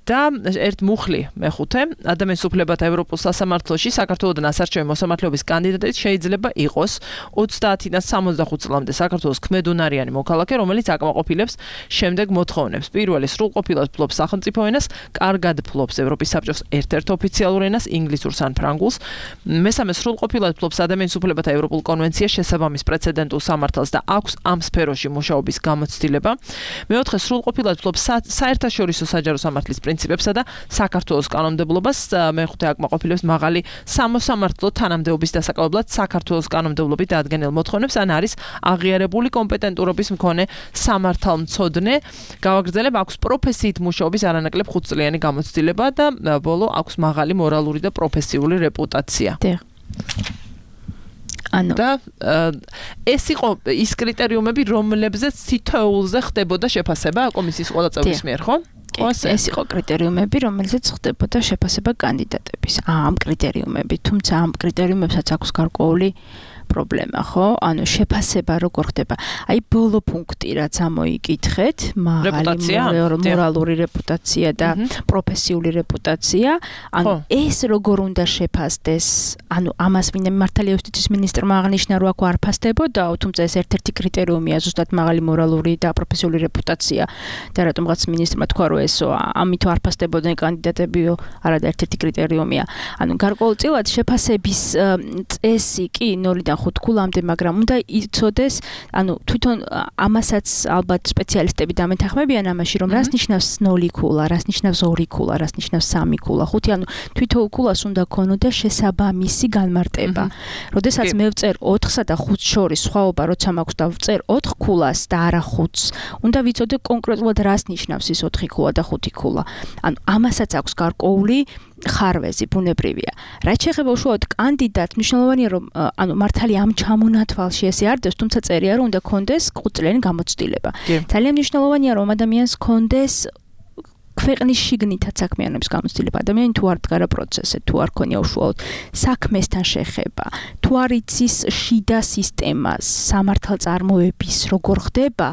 და ერთ მუხლი მეხუთე ადამიანის უფლებათა ევროპულ სასამართლოში საქართველოსთან ასარჩევი მოსამართლეობის კანდიდატი შეიძლება იყოს ოცდაათიდან სამოცდახუთ წლამდე საქართველოს ქმედუნარიანი მოქალაქე, რომელიც აკმაყოფილებს შემდეგ მოთხოვნებს. პირველი სრულყოფილად ფლობს სახელმწიფო ენას, კარგად ფლობს ევროპის საბჭოს ერთ-ერთ ოფიციალურ ენას, ინგლისურს ან ფრანგულს. მესამე სრულყოფილად ფლობს ადამიანის უფლებათა ევროპულ კონვენციის შესაბამის პრეცედენტულ სამართალს და აქვს ამ სფეროში მუშაობის გამოცდილება. მეოთხე სრულყოფილად ფლობს საერთაშორისო საჯარო სამართლის პრინციპებსა და საქართველოს კანონმდებლობას. მეხუთე აკმაყოფილებს მაღალი სამოსამართლო თანამდებობის დასაკავებლად საქართველოს კანონმდებლობით დადგენილ მოთხოვნებს, ან არის აღიარებული კომპეტენტურობის მქონე სამართალმცოდნე. გავაგრძელებ, აქვს პროფესიით მუშაობის არანაკლებ ხუთწლიანი გამოცდილება და ბოლო აქვს მაღალი მორალური და პროფესიული რეპუტაცია. ანუ და ეს იყო ის კრიტერიუმები, რომლებზეც თითოეულზე ხდებოდა შეფასება კომისიის ყველა წევრის მიერ, ხო? ეს იყო კრიტერიუმები, რომელზეც ხდებოდა შეფასება კანდიდატების. ამ კრიტერიუმები, თუმცა ამ კრიტერიუმებსაც აქვს გარკვეული პრობლემა, ხო? ანუ შეფასება როგორ ხდება? აი ბოლო პუნქტი რაც ამოიკითხეთ, მაღალი მორალური რეპუტაცია და პროფესიული რეპუტაცია, ანუ ეს როგორ უნდა შეფასდეს? ანუ ამას ვინმე მართალია იუსტიციის მინისტრმა აღნიშნა, რომ აქ არ ფასდებოდა, თუმცა ეს ერთ-ერთი კრიტერიუმია ზუსტად მაღალი მორალური და პროფესიული რეპუტაცია. და რატომღაც მინისტრმა თქვა, რომ ეს ამით არ ფასდებოდნენ კანდიდატებიო, არადა ერთ-ერთი კრიტერიუმია. ანუ გარკვეულწილად შეფასების წესი კი ნოლიდან ხუთ ქულამდე, მაგრამ უნდა იცოდეს, ანუ თვითონ ამასაც ალბათ სპეციალისტები დამეთანხმებიან ამაში, რომ რას ნიშნავს ნოლი ქულა, რას ნიშნავს ორი ქულა, რას ნიშნავს სამი ქულა, ხუთი, ანუ თვითონ ქულას უნდა ქონოდა შესაბამისი განმარტება. როდესაც მე ვწერ ოთხსა და ხუთს შორის სხვაობა როცა მაქვს და ვწერ ოთხ ქულას და არა ხუთს, უნდა ვიცოდე კონკრეტულად რას ნიშნავს ის ოთხი ქულა და ხუთი ქულა. ანუ ამასაც აქვს გარკვეული ხარვეზი, ბუნებრივია. რაც შეეხება უშუალოდ კანდიდატს, მნიშვნელოვანია რომ ანუ მართალი ამ ჩამონათვალში ესე არ დეს, თუმცა წერია რომ უნდა კონდეს ყუწლიანი გამოცდილება. ძალიან მნიშვნელოვანია რომ ადამიანს კონდეს ქვეყნის შიგნითაც საქმიანობის გამოცდილება. ადამიანი თუ არ დგარა პროცესზე, თუ არ ქონია უშუალოდ საქმესთან შეხება, თუ არ იცის შიდა სისტემას, სამართალწარმოების როგორ ხდება,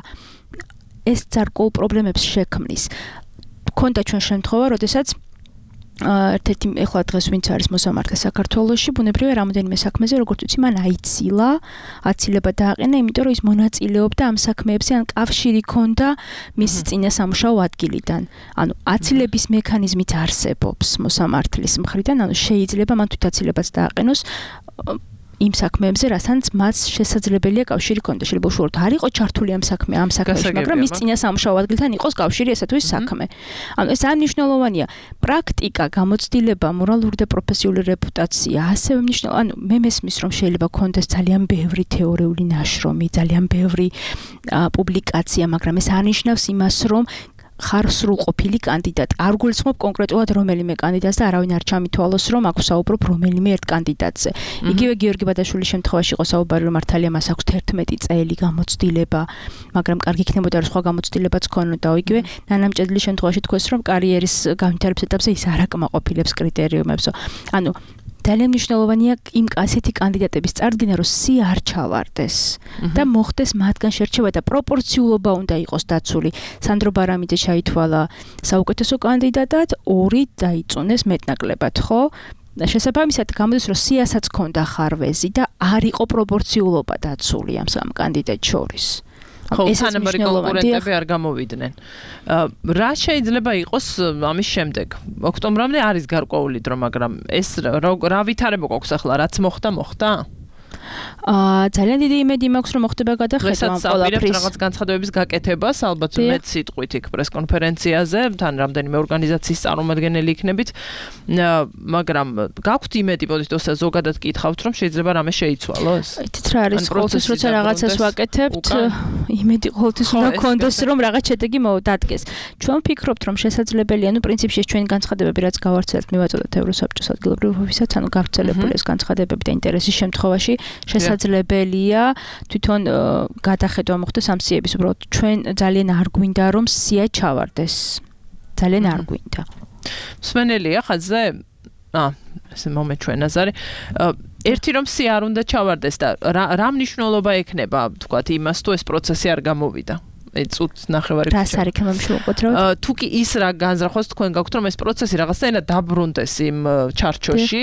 ეს გარკვეულ პრობლემებს შექმნის. ქონდა ჩვენ შემთხვევა, როდესაც ერთ-ერთი ეხლა დღეს ვინც არის მოსამართლე საქართველოში, ბუნებრივია რამოდენიმე საქმეზე, როგორც ვიცი, მან აიცილა, აცილება დააყენა, იმიტომ რომ ის მონაწილეობდა ამ საქმეებზე, ან კავშირი ჰქონდა მის წინა სამუშაო ადგილიდან. ანუ აცილების მექანიზმით არსებობს მოსამართლის მხრიდან, ანუ შეიძლება მან თვით აცილებაც დააყენოს იმ საქმეებზე, რასაც მას შესაძლებელია კავშირი ჰქონდა. შეიძლება უშუალოდ არ იყო ჩართული ამ საქმე, ამ საქმეში, მაგრამ მის წინა სამუშაო ადგილთან იყოს კავშირი ესა თუ ის საქმე. ანუ ეს ძალიან მნიშვნელოვანია. პრაქტიკა, გამოცდილება, მორალური და პროფესიული რეპუტაცია, ასევე მნიშვნელოვანია. ანუ მე მესმის, რომ შეიძლება ჰქონდეს ძალიან ბევრი თეორიული ნაშრომი, ძალიან ბევრი პუბლიკაცია, მაგრამ ეს არ ნიშნავს იმას, რომ ხარ სრულყოფილი კანდიდატი. არ გულისხმობ კონკრეტულად რომელიმე კანდიდატს და არავინ არ ჩამითვალოს, რომ აქ ვსაუბრობ რომელიმე ერთ კანდიდატზე. იგივე გიორგი ბადაშვილის შემთხვევაში იყო საუბარი, რომ მართალია მას აქვს თერთმეტი წელი გამოცდილება, მაგრამ კარგი იქნებოდა რომ სხვა გამოცდილებაც ქონოდა. იგივე ნანა მჭედლის შემთხვევაში თქვეს, რომ კარიერის განვითარების ეტაპზე ის არ აკმაყოფილებს კრიტერიუმებსო. ანუ ძალიან მნიშვნელოვანია იმ ასეთი კანდიდატების წარდგენა, რომ სი არ ჩავარდეს და მოხდეს მათგან შერჩევა და პროპორციულობა უნდა იყოს დაცული. სანდრო ბარამიძე ჩაითვალა საუკეთესო კანდიდატად, ორი დაიწუნეს მეტნაკლებად, ხო? შესაბამისად გამოდის, რომ სიასაც ჰქონდა ხარვეზი და არ იყო პროპორციულობა დაცული ამ სამ კანდიდატს შორის. ხო, თანაბარი კონკურენტები არ გამოვიდნენ. რა შეიძლება იყოს ამის შემდეგ? ოქტომბრამდე არის გარკვეული დრო, მაგრამ ეს რა ვითარება გვაქვს ახლა, რაც მოხდა, მოხდა? აა ძალიან დიდი იმედი მაქვს რომ მოხდება გადახედვა ამ ყველაფრის რაღაც განცხადებების გაკეთებას, ალბათ მეც სიტყვით იქ პრესკონფერენციაზე, თან რამდენიმე ორგანიზაციის წარმომადგენელი იქნებით, მაგრამ გაქვთ იმედი, მოდით ოსა ზოგადად გითხავთ, რომ შეიძლება რამე შეიცვალოს? იცით რა არის პროცესი, როცა რაღაცას ვაკეთებთ, იმედი ყოველთვის უნდა გქონდეს, რომ რაღაც შედეგი მოვდადგეს. ჩვენ ვფიქრობთ, რომ შესაძლებელია, ну პრინციპში ჩვენი განცხადებები რაც გავარცელებთ, მივაწოდოთ ევროსაბჭოს ადგილობრივ ოფისსაც, ანუ გავრცელებული ეს განცხადებები და ინტერესის შემთხვევაში შესაძლებელია თვითონ გადახედვა მოხდეს ამ სიების, უბრალოდ ჩვენ ძალიან არ გვინდა რომ სია ჩავარდეს. ძალიან არ გვინდა. მსმენელია ხაზზე? აა, ესე მომე ჩვენ აზარი. ერთი რომ სია არ უნდა ჩავარდეს და რა მნიშვნელობა ექნება, თქვათ, იმას თუ ეს პროცესი არ გამოვიდა? წუთ ნახევარი რას არ იქნება მშუყოთ თუ კი ის რა განზრახოს თქვენ გაქვთ რომ ეს პროცესი რაღაცნაირად დაბრუნდეს იმ ჩარჩოში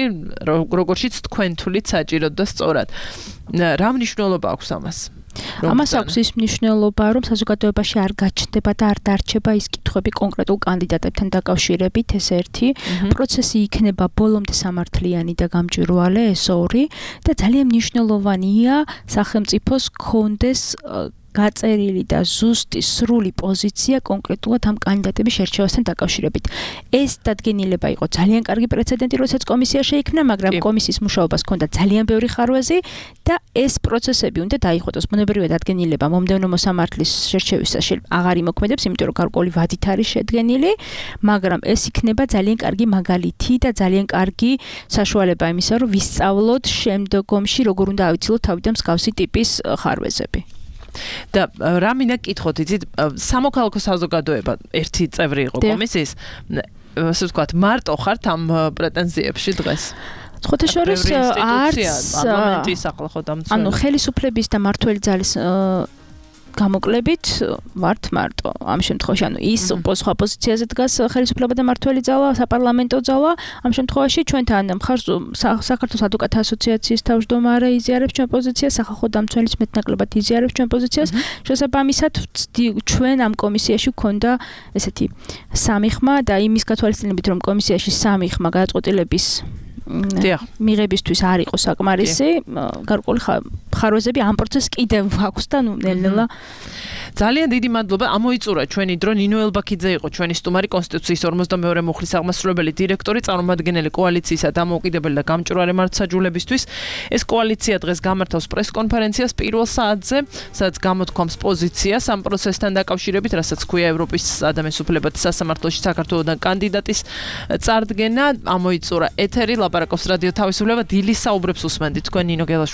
როგორშიც თქვენ თulit საჭიროდ და სწორად რა მნიშვნელობა აქვს ამას ამას აქვს ის მნიშვნელობა რომ საზოგადოებაში არ გაჩნდება და არ დარჩება ის კითხვები კონკრეტულ კანდიდატებთან დაკავშირებით ეს ერთი პროცესი იქნება ბოლომდე სამართლიანი და გამჭვირვალე ეს ორი და ძალიან მნიშვნელოვანია სახელმწიფოს კონდეს გაწერილი და ზუსტი სრული პოზიცია კონკრეტულად ამ კანდიდატების შერჩევასთან დაკავშირებით. ეს დადგენილება იყო ძალიან კარგი პრეცედენტი, როდესაც კომისია შეიქმნა, მაგრამ კომისიის მუშაობას ჰქონდა ძალიან ბევრი ხარვეზი და ეს პროცესები უნდა დაიხოტოს. ბუნებრივია დადგენილება მომდევნო მოსამართლის შერჩევისას აღარ იმოქმედებს, იმიტომ რომ გარკვეული ვადით არის შედგენილი, მაგრამ ეს იქნება ძალიან კარგი მაგალითი და ძალიან კარგი საშუალება იმისა, რომ ვისწავლოთ შემდგომში როგორ უნდა ავიცილოთ თავიდან მსგავსი ტიპის ხარვეზები. და რა მინდა კითხოთ, იცით, სამოქალაქო საზოგადოება ერთი წევრი იყო კომისიის, ასე ვთქვათ, მარტო ხართ ამ პრეტენზიებში დღეს? სხვათა შორის არც პარლამენტის ახლა ხო დამცველი. ანუ ხელისუფლების და მმართველი ძალის გამოკლებით ვართ მარტო ამ შემთხვევაში ანუ ის სხვა პოზიციაზე დგას ხელისუფლება და მმართველი ძალა საპარლამენტო ძალა ამ შემთხვევაში ჩვენთან მხარს საქართველოს ადვოკატთა ასოციაციის თავმჯდომარე იზიარებს ჩვენ პოზიციას სახალხო დამცველის მეტნაკლებად იზიარებს ჩვენ პოზიციას შესაბამისად ჩვენ ამ კომისიაში გვქონდა ესეთი სამი ხმა და იმის გათვალისწინებით რომ კომისიაში სამი ხმა გადაწყვეტილების მიღებისთვის არ იყო საკმარისი გარკვეული ხარვეზები ამ პროცესს კიდევ აქვს და ნუ ნელ-ნელა ძალიან დიდი მადლობა ამოიწურა ჩვენი დრო ნინო ელბაქიძე იყო ჩვენი სტუმარი კონსტიტუციის ორმოცდამეორე მუხლის აღმასრულებელი დირექტორი წარმომადგენელი კოალიციისა დამოუკიდებელი და გამჭვირვალე მართლმსაჯულებისთვის ეს კოალიცია დღეს გამართავს პრესკონფერენციას პირველ საათზე სადაც გამოთქვამს პოზიციას ამ პროცესთან დაკავშირებით რასაც ქვია ევროპის ადამიანის უფლებათა სასამართლოში საქართველოსთან კანდიდატის წარდგენა ამოიწურა ეთერი ლაპარაკობს რადიო თავისუფლება დილის საუბრებს უსმენთ თქვენ ნინო გელაშვილი